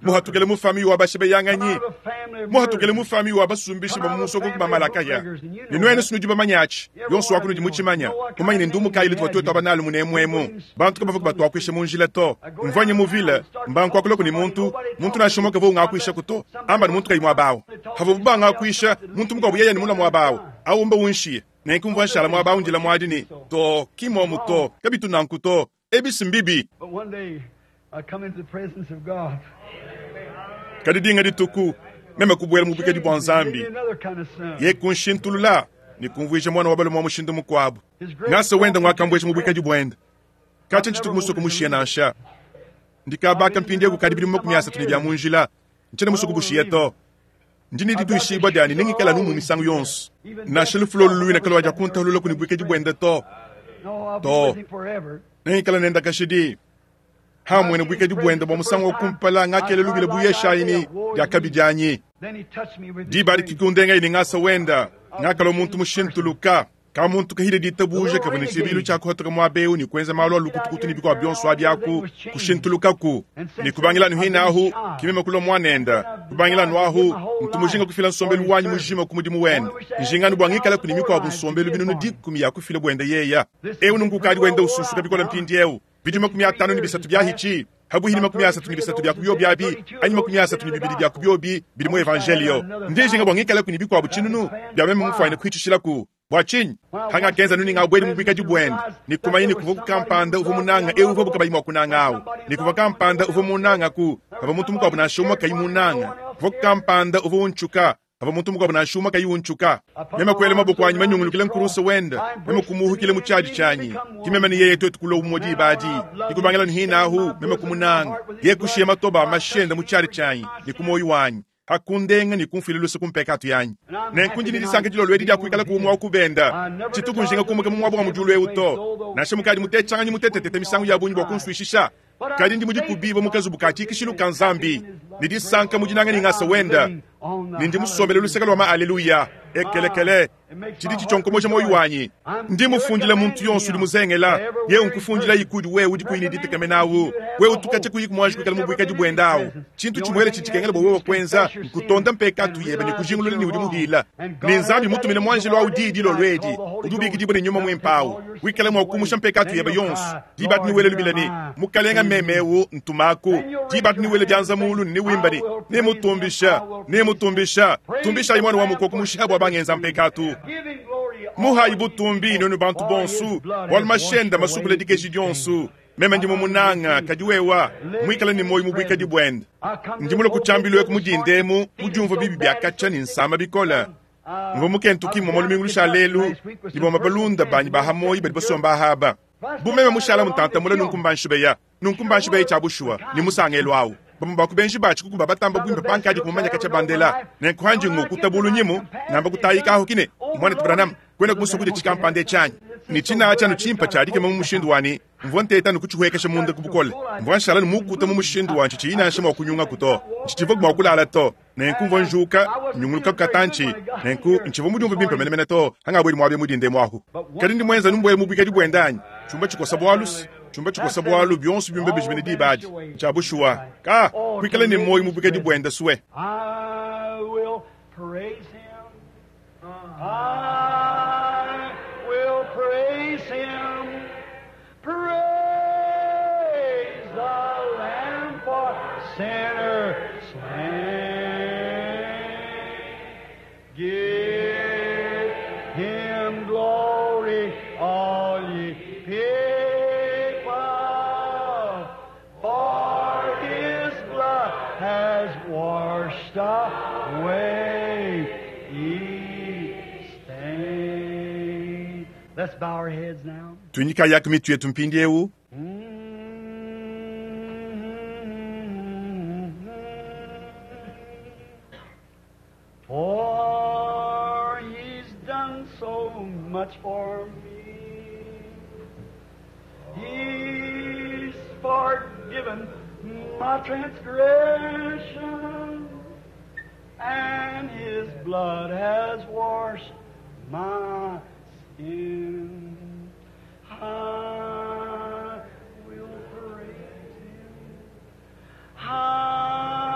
Muhatukele mu famille wa bashibeyanganyi. Out of a family of Muhatukele murderers. mu famille wa basumbishi ba mu musoko ba malakaya. Ne nwene sunu diba manyachi. Yonso wa kunu muchimanya. Kumanya ne ndumu kayi litwa twetu abanalu munemwemu. Bantu kabavuka batwakwisha mu njila to. Mvanye mu vile mbanku akuloko ni muntu, muntu nashomoka vo ngakwisha kuto. Amba ni muntu kayi mwabawo. Havo bubanga akwisha, muntu mukwabu yeye ni mula mwabawo. Awumba unshiye. Nenkumva nshala mwabawo njila mwadini. To kimomu to, kabitu nanku to. Ebisi mbibi. But one day I come into the presence of God. Kadi dinga dituku meme kubwela mu bukedi bwa Nzambi. Give me another kind of son. Ye kunshintulula ni kumvuisha mwana wa balume wa mushindu mukwabo. Ngasa wenda ngwakambwesha mu bukedi bwenda. Kacha nchituku musuku mushiye nansha. Ndikabaka mpindi kukadi bili makumi asatu ne bya munjila. Nchene musuku bushiye to. Ndini dituishibwa dyani ningikala numu misangu yonso. Nasha lufulo luluina kalwa ja kuntalula kuni bukedi bwenda to. No, I'll be To. with him forever. Ningikala nenda kashidi. Hamwe ne bukedi bwenda bwa musangu kumpala ngakele lubile buyeshaini dyakabidyanyi. Then he touched me with his Dibari grace. kikundenga ini ngasa wenda ngakalo muntu mushintuluka ka muntu kahile ditabuja kavune chibilu cha kuhatoka mwabeu ni kwenza malo lukutukutu ni bikwa byonso abyaku kushintulukaku ni kubangila ni hinahu kimema kulo mwanenda kubangila nwahu mtumujinga kufila nsombelu wanyi mujima kumudimu wenda njingani bwangikala kuni mikwa bunsombelu binunu dikumi ya kufila bwenda yeya ewu nungukali wenda ususuka bikola mpindi ewu bidi makumi atano ni bisatu byahichi habuhili makumi asatu ni bisatu bya kubyobi anyi makumi asatu ni bibili bya kubyobi bili mu evangelio ndijinga bwangikala kuni bikwabu chinunu bya meme mufwaine kuhitishilaku bwachinyi hanga kenza nuni ngabweli mubwikaji bwenda nikumanyi nikuva kukampanda uva munanga eu uva bukabayimwa kunanga awo nikuva kampanda uva munanga ku ava muntu mukwabu nashomwa kayi munanga kuva kukampanda uva unchuka ava muntu mukwabu nashuma kayi unchuka meme kwele maboko anyi manyungulukile nkurusa wenda meme kumuhukile muchaji chanyi kimeme ni yeye twetu kulo umodi ibadi nikubangela nihinahu meme kumunanga ye kushiye matoba amashenda muchali chanyi nikumoyo wanyi hakundenga nikumfile luse kumpekatu yanyi nenkunji nilisanka jilo lwedi lya kuikala kuumwa okubenda chitukunjinga kumuka mumwabo wa mujulu euto nashe mukadi mutechanganyi mutetetete misangu ya bunyi bwa kunswishisha kadi ndi mudikubiba mukazubu ka chikishilu ka Nzambi nidisanka mujinanga ningasa wenda nindi musombele luseka lwa ma aleluya ekelekele chidi chichonkomosha moyo wanyi ndi mufundile muntu yonso udi muzengela ye unkufundila ikudi wewe udi kuini ditekemenawu wewe utukache kuyiku mwanji kuikala mubwikadi bwendawu chintu chimwele chichikengela bwa wewe kwenza nkutonda mpekatu yebe nikujingulula ni udi muhila ni Nzambi mutumile mwanji lwa udidi lo lwedi udubikidibwe ne nyuma mwimpawu wikale mwa kumusha mpekatu yebe yonso dibati niwele lubilani mukalenga memewu ntumaku dibati niwele byanza mulu niwimbani nimutumbisha nimutumbisha tumbisha imwana wa mukoko mushiha bwa bangenza mpekatu Give him glory. muhayi butumbi nonu bantu bonsu bwalu mashenda masukule dikeji dyonsu meme ndi mumunanga kadi wewa mwikala ni moyo mubwikadi bwenda ndi mulo kuchambilwe kumudindemu mudiumva bibi byakacha ni nsama bikola mva mukentuki mwa lumingu lusha lelu liboma balunda banyi bahamoyi badi basomba ahaba bumeme mushala mutantamula nunkumbanshibeya nunkumbanshibeya chabushuwa ni musangelo awu bamwe bakubenji bachi kukuba batamba bwimba pankadi kumumanya kacha bandela nenkuhanji ngukutabulu nyimu namba kutayikaho kine mwana tubranam kwenda kumusukuja chikampande chanyi ni china chanu chimpa chadike mu mushindu wani mvua nteta nukuchihuekesha munda kubukole mvua nshala numukuta mu mushindu wanchi chiinasha mwa kunyunga kuto nchichiva mwa kulala to nenku mvua njuka nyunguluka kukatanchi nenku nchiva mudiumva bimpe menemene to hangabweli mwabye mudinde mwahu kadi ndi mwenza numbwele mubwikadi bwendanyi chumba chikosa bwalusi chumba chikosa bwalu byonso byumbe bijimene dibadi chabushuwa ka kwikala ni moyo mubwikadi bwenda suwe I will praise him. I will praise him. Praise the Lamb for sinners slain. Give him glory, all ye people, for his blood has washed away each stain. Let's bow our heads now. tunyika yako mitu yetu mpindi ewu For he's done so much for me. He's forgiven my transgression, and his blood has washed my sin. I will praise him. I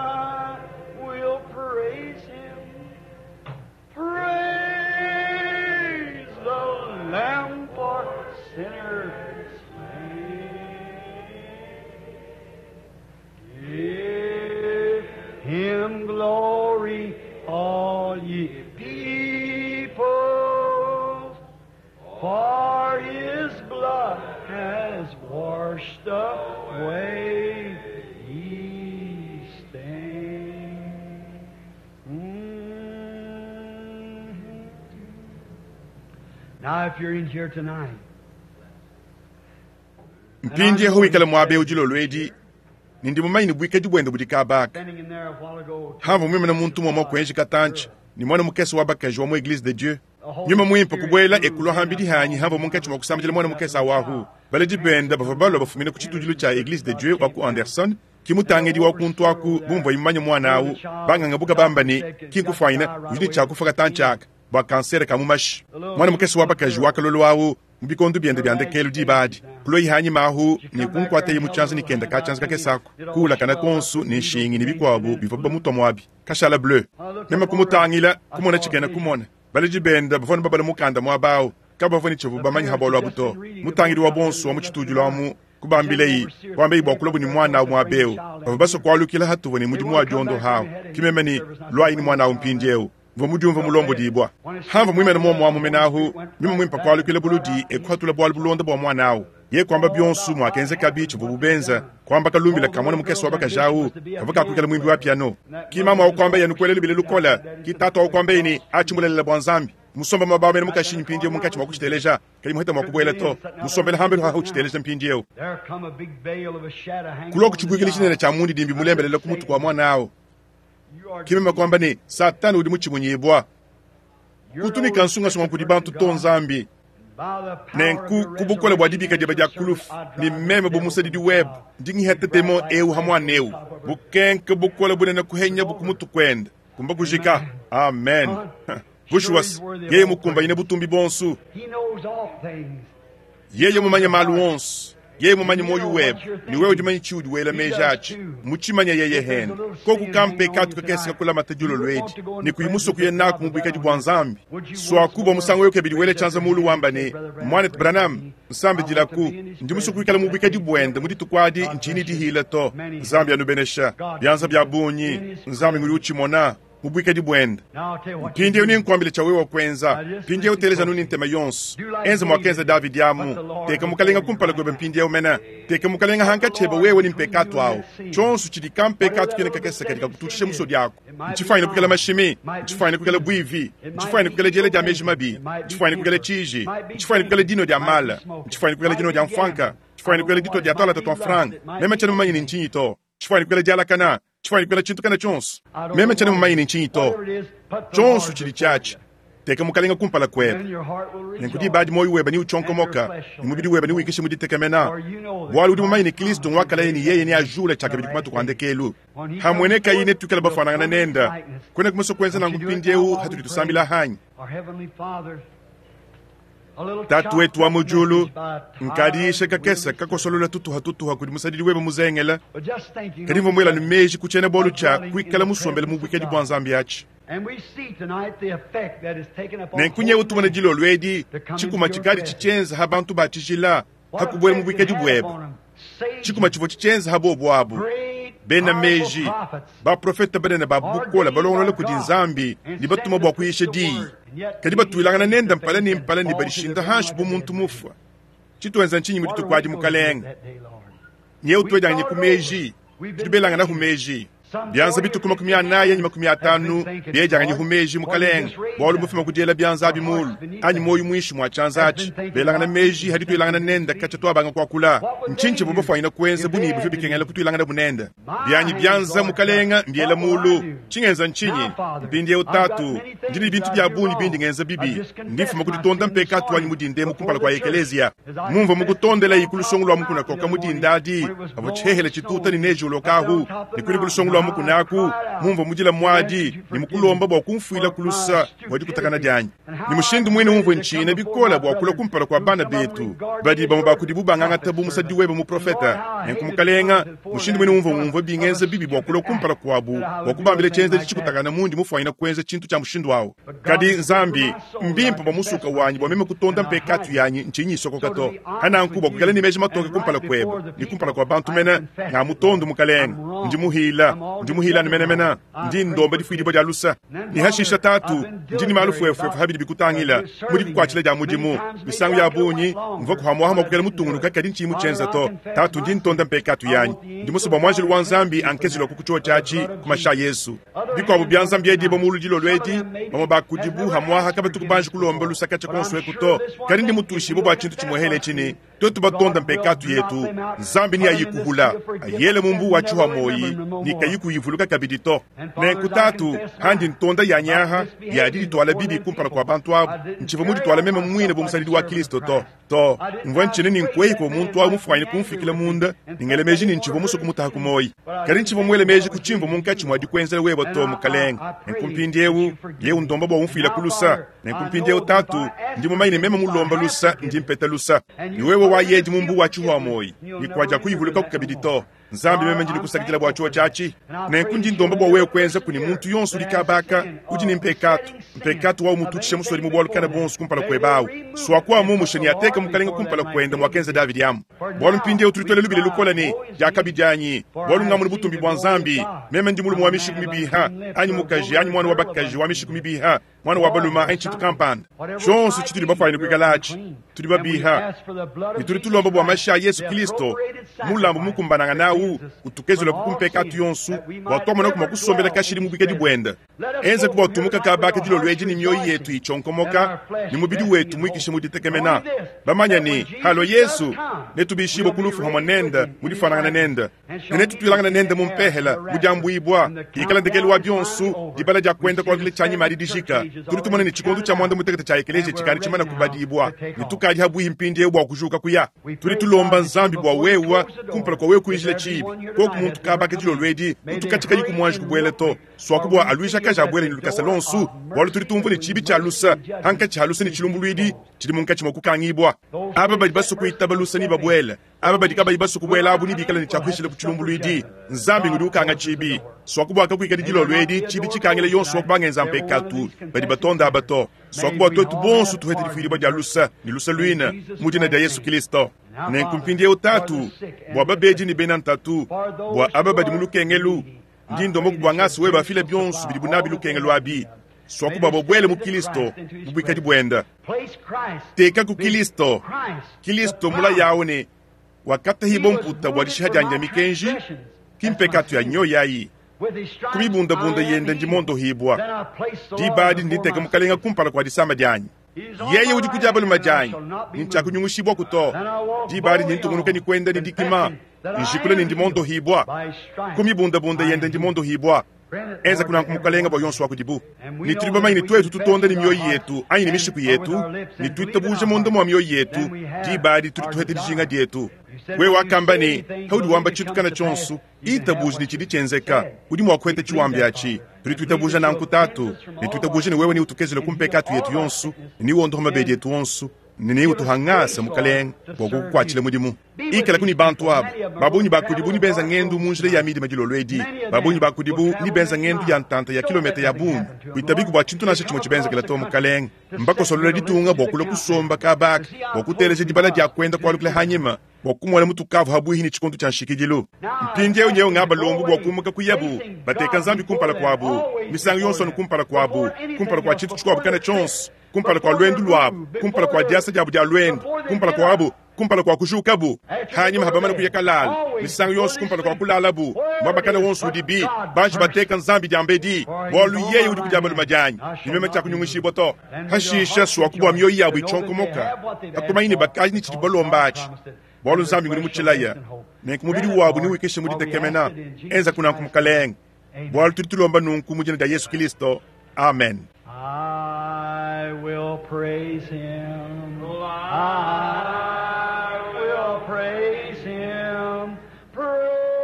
Mpindiewu wikala muaba ewu dilolo edi, ne ndi mumanye ne buikadi buende budi kabaka. Hamvua muimane muntu mumue kuenji katantshi ne mwana mukese wa bakaji wa mu Eglise de Dieu. Nyuma muimpe kubuela ekulua hambidi hanyi hamvua munkatshi mua kusambidila mwana mukese awahu. Baledi bende bavua balua bafumina ku tshitudilu tshia Eglise de Dieu wa ku Anderson, ki mutangidi wa kuntu aku bumvua imumanye mwana awu, banganga buka bamba ne ki nkufuanyina udi ne tshiakufa katantshi aka bua kansere ka mu mashi. Mwana mukese wa bakaji wakalolo awu mu bikondo biende bia ndekelu diba adi kuloyi hanyi mahu ne kunkuateye mu tshianza ne kenda ka tshianza kakese ako kuulakana konsu ne nshingi ne bikuabu bivua bamutua muabi kashala bleu. Meme kumutangila kumona tshikena kumona baledi bende bavua ne babala mukanda muaba awu kabavua ne tshivu bamanye ha bualu abu to. Mutangidi wa bonso wa mu tshitudilu amu kubambileyi kuambeyi bua kulabu ne mwana awu muaba ewu bavua basue kualukila hatuvua ne mudimu wa diondo hawu kimeme ne lwayi ne mwana awu mpindiewu mvua mudiumva mulombodibwa. Hamvua muimene muomu amu menahu nyuma muimpe kualukila buludi ekuhatula bualu bulonda bua mwana awu. Ye kuamba bionso muakenzeka tshivua bubenza kuamba kalumbila ka mwana mukese wa bakaji awu kavua kakuikala muimbi wa piano. Ki mama awu kuamba yenu kuelela bile lukola ki tatu awu kuamba yeni atshimulelela bua Nzambi. Musomba mabao mene mukashinyi mpindiewu munkatshi mua kutshiteleja kadi muheta mua kubuela to. Musombela hambelu haha utshiteleja mpindiewu. Kulua kutshibuikila tshinene tshia mundidimbi mulembelela ku mutu kua mwana awu. Kimeme kuamba ne Satani udi mutshimunyibwa. Kutumika nsungasunga kudi bantu to Nzambi. Nenku kubukole bua dibika dieba dia kulufu ne meme bu musadidi webe ndi ngiheta demo ewu ha mwana ewu. Bukenke bukole bunene kuhenya bukumutu kwenda kumba kujika. Amen. Bushuwas yeye mukumbanyine butumbi bonsu. Yeye mumanye malu onsu. Yeye mumanye moyo webe ni wewe udimanyi tshiudi wela meji atshi mutshimanya yeye hene koku kampe katu kakese kakulamata dilolo edi ne kuyi kuye naku mu buikadi bua Nzambi. Swaku bua musangu oyo kebidi wele tshianza mulu wamba ne mwana Branham nsambi dilaku ndi musu kuikala mu buikadi buende mu dituku adi ntshini dihila to. Nzambi anubenesha bianza bia bungi Nzambi ngudi utshimona mu buikadi buende. Mpindiewu ninkuambile tshia wewe kwenza. Mpindiewu teleja nuni ntema yonso. Enza mwakenza David amu. Teka mukalenga kumpala kwebe mpindiewu mena. Teka mukalenga hankatsheba wewe ni mpekatu awu. Tshonso tshidi kampekatu kene kakese kadi kakututshisha musodi ako. Ntshifuanyine kukela mashimi, ntshifuanyine kukela bwivi, ntshifuanyine kukela diela dia meji mabi, ntshifuanyine kukela tshiji, ntshifuanyine kukela dino dia mala, ntshifuanyine kukela dino dia mfwanka, ntshifuanyine kukela dito dia twala twa franga. Meme tshena mumanyi ni ntshinyi to. Ntshifuanyine kukela dialakana. Tshifuanyine kukela tshintu kana tshonso. Meme tshena mumanyi ni ntshinyi to. Tshonso tshidi tshiatshi. Teka mukalenga kumpala kwebe. Nenku diba adi moyo webe ni utshonkomoka, ni mubidi webe ni wikishe muditekamena. Bualu udi mumanyi ne Kristo ngwakalaye ni yeye ni ajula tshiakabidi ku matuku a ndekelu. Hamweneka yine tukala bafanangana nenda. Kwena kumuso kwenza nangu mpindiewu hatudi tusambila hanyi. Tatu wetu wa mujulu nkadiisha kakesa kakosolola tutuha tutuha kudi musadidi webe muzengela. Kadi mvua muela ni meji kutshiena bualu tshia kuikala musombele mu buikadi bua Nzambi atshi. Nenkunyewu tumona dilolo edi tshikuma tshikadi tshitshienza ha bantu ba tshijila hakubuela mu buikadi buebe. Tshikuma tshivua tshitshienza ha bobu abu. Bena meji baprofeta banene ba bukola balongolola kudi Nzambi ne batuma bua kuyisha diyi. Kadi batuilangana nenda mpala ne mpala ne badishinda hanshi bu muntu mufua. Tshituenza ntshinyi mu dituku adi mukalenga? Nyewu tuedianganye ku meji, tudibelangana ku meji. Bianza bituku makumi anayi anyi makumi atanu biedianganye ku meji mukalenga. Bualu mufuma kudiela bianza abi mulu anyi moyo mwishi mwa tshianza atshi. Belangana meji hadi tuilangana nenda katshia tuabanga kuakula. Ntshinyi tshivua bafuanyina kuenza buni bivua bikengela kutuilangana bunenda. Bianyi bianza mukalenga mbiela mulu. Tshingenza ntshinyi? Mpindiewu tatu ndi ne bintu bia bungi bindi ngenza bibi. Ndifuma kuditonda mpekatu wanyi mudinde mu kumpala kua ekelezia. Mumvua mukutondela yi ku lusongo lua mukuna koka mudinda adi avua tshihehele tshituta ne neji ulokahu ne kuli ku lusongo lua mukunaku mumvua mudila muadi ne mukulomba bua kumfuila kulusa bua dikutakana dianyi. Ni mushindu mwine umvue ntshina bikola bua kulua kumpala kua bana betu badi bamue bakudibu bangangata bu musadi webe muprofeta. Nenku mukalenga mushindu mwine umvue ngumvue bingenza bibi bua kulua kumpala kuabu bua kubambila tshienza tshikutakana mundi mufuanyina kuenza tshintu tshia mushindu awu. Kadi Nzambi mbimpe bua musuka wanyi bua meme kutonda mpekatu yanyi ntshinyi isokoka to. Hananku bua kukala ne meji matoke kumpala kuebe ne kumpala kua bantu mene nga mutondo mukalenga. Ndi muhila, ndi muhila ni menemene, ndi ndomba difuidibua dia lusa. Ne hashisha tatu, ndi ni malu fuefuefu habidi bikutangila, mudi kukuatshila dia mudimu. Misangu ya bungi, mvua kuhamuaha mua kukela mutungunuka kadi ntshiyi mutshienza to. Tatu, ndi ntonda mpekatu yanyi. Ndi musue bua muanjelu wa Nzambi ankezula ku kutshiwo tshiatshi ku mashi a Yesu. Bikuabu bia Nzambi edibo mu ludilo luedi, bamue ba kudibu hamuaha kabatu kubanji kulomba lusaka tshia konso eku to. Kadi ndi mutushibue bua tshintu tshimuehele tshini, twetu batonda mpekatu yetu, Nzambi ni ayikuhula, ayele mumbu wa tshiwa moyi, ni kayikuyivuluka kabidi to. Nenku tatu, handi ntonda ya nyaha, ya diditwala bibi kumpala kua bantu abu, ntshiva muditwala meme muine bu musadidi wa Kristo to. To, mvua ntshine ni nkwei ko muntu awu mufuanyine kumfikila munda, ningele meji ni ntshiva musu kumutaha ku moyi. Kadi ntshiva muele meji ku tshimvu munkatshi mua dikuenzela wewe to mukalenge. Nenku mpindiewu, yewu ndomba bua umfuila ku lusa. Nenku mpindiewu tatu, ndi mumanye ne meme mulomba lusa, ndi mpeta lusa. Ni wewe wa yedi mumbu wa tshiwa moyi, ni kwaja kuyivuluka kukabidi to. Nzambi meme ndi nikusakidila bua tshiwa tshiatshi. Nenku ndi ndomba bua wewe kuenza kuni muntu yonso udi kabaka, udi ni mpekatu. Mpekatu wa umututshisha musoli mu bualu kana bonso kumpala kuebawu. Swakuwa mumushe ni ateka mukalenga kumpala kuenda mwakenza Davidi amu. Bualu mpindiewu tulitwele lubile lukola ne diakabidianyi, bualu ngamunu butumbi bua Nzambi. Meme ndi mulume wa mishiku mibiha, anyi mukaji, anyi mwana wa bakaji wa mishiku mibiha, mwana wa baluma anyi tshintu kampanda. Tshionso tshitudi bafuanyine kuikala atshi, tudi babiha. Ne tudi tulomba bua mashi a Yesu Kristo, mulambu mukumbananga nawu, utukezula ku mpekatu yonso, bua twamona kuma kusombela kashidi mu bwikadi bwenda. Enza ku bua tumuka kabaka dilolo edi ni mioyo yetu itshonkomoka, ni mubidi wetu muikishe mu ditekemena. Bamanya ni, halo Yesu, netubishibwe ku lufu hamwe nenda, mu difanangana nenda. Ne netutwilangana nenda mu mpehela, mu diambuibwa, ikala ndekelu wa bionso, dibala dia kwenda kwa kile tshanyi mali dijika. Tudi tumona ni tshikondo tshia mwanda mutekete tshia ekelesia tshikali tshimana kubadibwa, ne tukadi habuihi mpindiewu bua kujuka kuya. Tudi tulomba Nzambi bua wewa, kumpala kwa wewe kuijila tshibi. Koku muntu kabaka dilolo edi, utukatshika yiku mwanji kubwela to. Swaku bua aluisha kaja abwele ni lukasa lonsu, bualu tudi tumvua ne tshibi tshia lusa, hankatshi ha lusa ne tshilumbuluidi, tshidi munkatshi mua kukangibwa. Aba badi basu kuitaba lusa ni babwele, aba badi kabayi basu kubwela abu ni bikala ne tshiakuishila ku tshilumbuluidi. Nzambi ngudi ukanga tshibi. Swaku bua kakuikadi dilolo edi, tshibi tshikangile yonso wa kubangenza mpekatu, badi batonda aba to. Swaku bua twetu bonso tuhete difuidibua dia lusa, ni lusa luina, mu dina dia Yesu Kristo. Nenku mpindiewu tatu, bua babedi ni bena ntatu, bua aba badi mu lukengelu, ndi ndomba kubua ngasi wewe bafile bionso bidi bunabi lukengelu abi. Swaku bua bwele mu Kristo, mu bwikadi bwenda. Teka ku Kristo, Kristo mula yawo ne wakatahibo mputa bua dishiha dianyi dia mikenji, kimpekatu ya nyo yayi. Kumibundabunda yenda ndi mondohibwa. Dibadi nditeka mukalenga kumpala kua disama dianyi. Yeye udi kudia baluma dianyi, ni ntshiakunyungushibwa kuto. Dibadi ndi ntungunuka ni kwenda ni dikima, njikula ni ndi mondohibwa. Kumibundabunda yenda ndi mondohibwa. Enza kunanku mukalenga bua yonso wa kudibu. Ni tudi bamanyi ni twetu tutonda ni mioyo yetu, anyi ni mishiku yetu, ni tuitabuja munda mua mioyo yetu, dibadi tudi tuhete dijinga dietu. Wewe wakamba ni, haudi wamba tshintu kana tshionso, itabuja ni tshidi tshienzeka, udi mua kuheta tshiwambi atshi. Tudi tuitabuja nanku tatu, ni tuitabuja ni wewe ni utukezele ku mpekatu yetu yonso, ni wondoha mabedi yetu onso, ni utuhangasa mukalenga bua kukukuatshila mudimu. Ikala kuni bantu abo, babunyi bakudibu ni benza ngendu mu njila ya midima dilolo edi, babunyi bakudibu ni benza ngendu ya ntanta ya kilomita ya bungi, kuitabiku bua tshintu nansha tshimue tshibenzekela to mukalenga. Mbakosolola ditunga bua kulua kusomba kabaka, bua kuteleja dibala dia kwenda kualukila hanyima, bua kumona mutukavu habuihi ni tshikondo tshia nshikidilu. Mpindiewu nyewu ngaba lombu bua kumuka kuyabu, bateka Nzambi kumpala kuabu, misangu yonso anu kumpala kuabu, kumpala kua tshintu tshikuabu kana tshionso, kumpala kua lwendu lwabu, kumpala kua diasa diabu dia lwendu, kumpala kuabu, kumpala kua kujukabu, hanyima habamana kuya kalala, misangu yonso kumpala kua kulalabu, mwabakana wonso udibi, banji bateka Nzambi diambedi, bualu yeye udi kudia baluma dianyi, ni meme tshiakunyungushibwa to. Hashisha swaku bua mioyo yabu itshonkomoka, hakumanyi ne bakaji ni tshidi balomba atshi. Bualu Nzambi ngudi mutshilaya, nenku mubidi wabu niwikishe muditekemena, enza kunanku mukalenga. Bualu tudi tulomba nunku mu dina dia Yesu Kristo. Amen. I will praise him. I will praise him.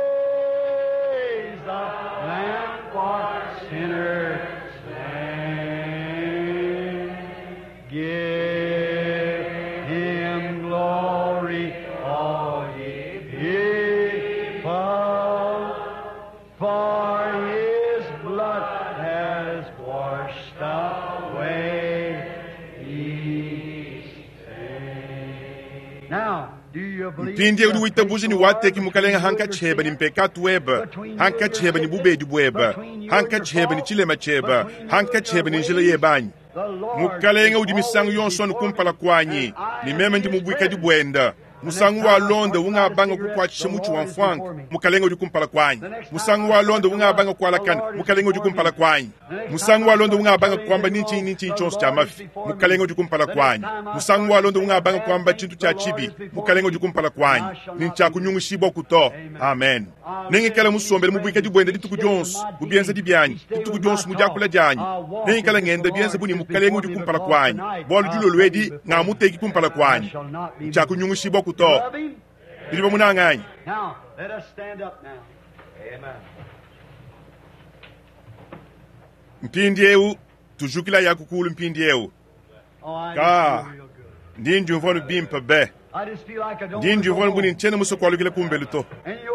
Praise the Lamb for sinners slain. Give him glory, all ye people, for his blood has washed away each stain. Mpindiewu udi witabuja ne wateki Mukalenga hankatshi hebe ne mpekatu webe, hankatshi hebe ne bubedi buebe, hankatshi hebe ne tshilema tshiebe, hankatshi hebe ne njila yebe anyi? Mukalenga udi misangu yonso anu kumpala kuanyi, ne meme ndi mu buikadi buenda. Musangu wa londa ungabanga kukuatshisha mutshi wa mfuanka, Mukalenga udi kumpala kuanyi. Musangu wa londa ungabanga kualakana, Mukalenga udi kumpala kuanyi. Musangu wa londa ungabanga kuamba ni ntshinyi ni ntshinyi tshionso tshia mafi, Mukalenga udi kumpala kuanyi. Musangu wa londa ungabanga kuamba tshintu tshia tshibi, Mukalenga udi kumpala kuanyi. Ni ntshiakunyungushibua kuto. Amen. Nengikale musombele mu buikadi buende dituku dionso, mu bienzedi bianyi, dituku dionso mu diakula dianyi. Nengikale ngenda bienze bu ne Mukalenga udi kumpala kuanyi, bualu dilolo edi ngamuteki kumpala kuanyi. Ntshiakunyungushibua kuto. Nudi bamunanga anyi? Now, let us stand up now. Amen. Mpindiewu tujukila ya kukulu mpindiewu. Oh, I Ka. just feel real good. Ndi ndiumvua nu bimpe be. I just feel like I don't Ndi wanna go ndiumvua nu home. bu ne ntshiena musue kualukila kumbelu to.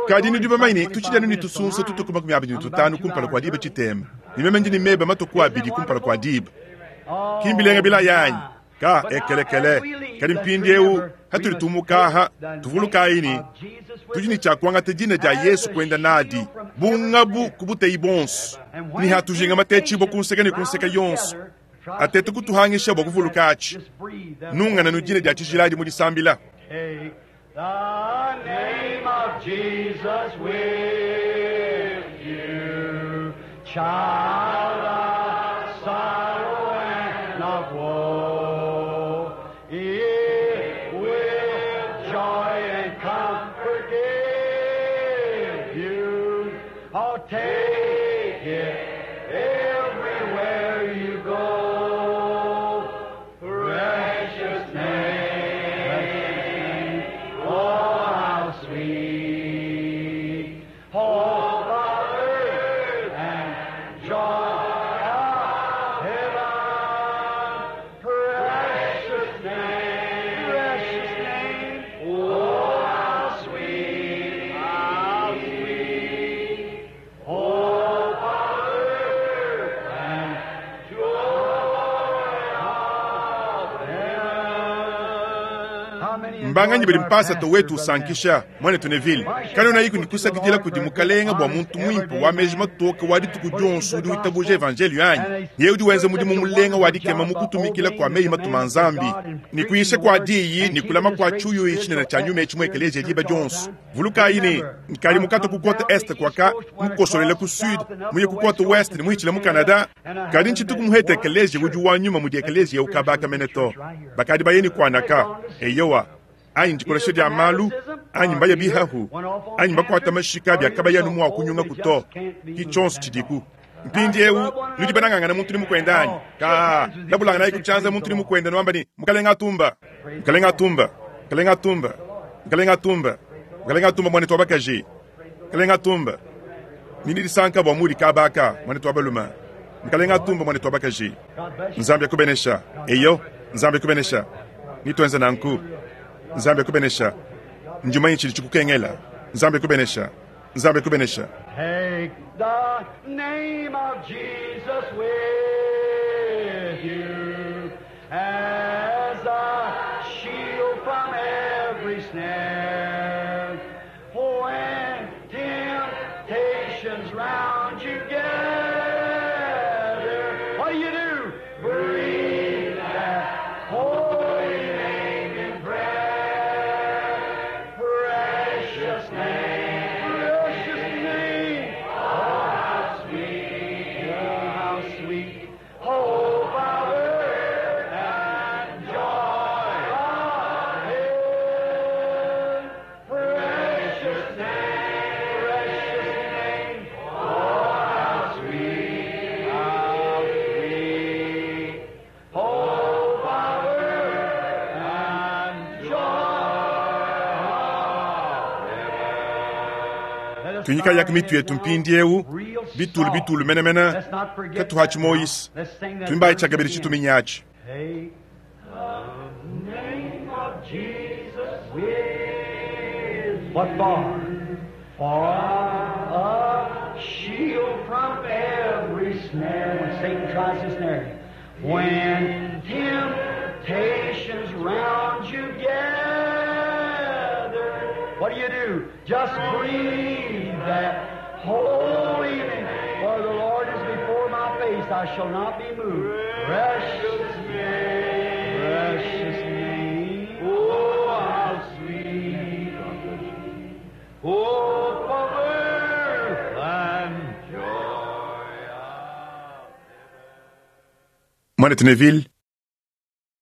Kadi nudi bamanye ne tutshidi anu ne tusunsa tutuku makumi abidi ne tutanu kumpala kua diba tshitema. Ne meme ndi ne meba matuku abidi kumpala kua diba. Oh, Kimbilenga bila yanyi. Ka But now, ekelekele. as we leave, Kadi let's mpindiewu remember hatuli we must tumukaha take the tuvulukayi name ne of Jesus with tudi ne us. tshiakuangata dina dia Yesu kuenda nadi bungabu ku buteyi bonso ni hatujinga matetshibua kunseka ne kunseka yonso atete kutuhangisha bua kuvuluka atshi nungana nu dina dia tshijiladi mu disambila. Take the name of Jesus with you, child of sorrow and of woe. It will joy and comfort give you. Oh, take it everywhere you go. Precious name, oh how sweet, hope of earth and joy of heaven. Precious name, precious name, oh how sweet, how sweet, hope of earth and joy of heaven. How many Mbanganyi badi enjoyed our mpasata pastor, wetu Brother usankisha mwanetu Neville kanona yiku nikusakidila kudi mukalenga bua muntu muimpe wa meji matoke wa dituku dionso udi witabuja evanjelio anyi. Yeye udi wenza mudimu mulenga wa dikema mu kutumikila kua meyi matuma a Nzambi ni kuyisha kua diyi ni kulama kua tshiuyu tshinene tshia nyuma etshi mu ekeleziya diba dionso. Vulukayi ne nkadi mukata ku kote est kuaka mukosolele ku sud muye ku kote west ne muhitshile mu Canada kadi ntshituku muhete ekeleziya udi wa nyuma mudi ekeleziya ukabaka mene to bakadi bayeni kuanaka eyowa anyi ndikolesha dia malu anyi mbaya bihahu anyi mbakuata mashika biakabayanu mua kunyunga kuto ki tshonso tshidiku. Mpindiewu nudi banangangana muntu ni mukwenda anyi ka labulangana nayi kutshianza muntu ni mukwenda nwamba ni Mukalenga atumba Mukalenga atumba Mukalenga atumba Mukalenga atumba Mukalenga atumba mwanetu wa bakaji Mukalenga atumba nini disanka bua mudi kabaka mwanetu wa balume Mukalenga atumba mwanetu wa bakaji God bless you. Nzambi akubenesha eyo Nzambi akubenesha nitwenza nanku Nzambi akubenesha njumanyi tshidi tshikukengela Nzambi akubenesha Nzambi akubenesha. Take the name of Jesus with you as a shield from every snare. When temptations round you gather, what do you do? Breathe that holy name in prayer. Precious name, precious name. Oh, how sweet, oh, how sweet. Hope of earth and joy of heaven. Precious name, precious name. Oh, how sweet, how sweet. Hope of earth and joy of heaven. Let us Tunyika yak mitu yetu mpindiewu bitulu bitulu menemene Let's not forget katuhatshi that now. moyisi Let's sing that tumbayi verse tshiakabidi again. tshituminyachi. Take the name of Jesus with what for? For a shield from every snare when Satan tries to snare you. When temptations round you gather, What do you do? Just breathe that holy name. For the Lord is before my face, I shall not be moved. Precious name, precious name. Oh, how sweet. Oh, comfort and joy. Mwanetu Neville,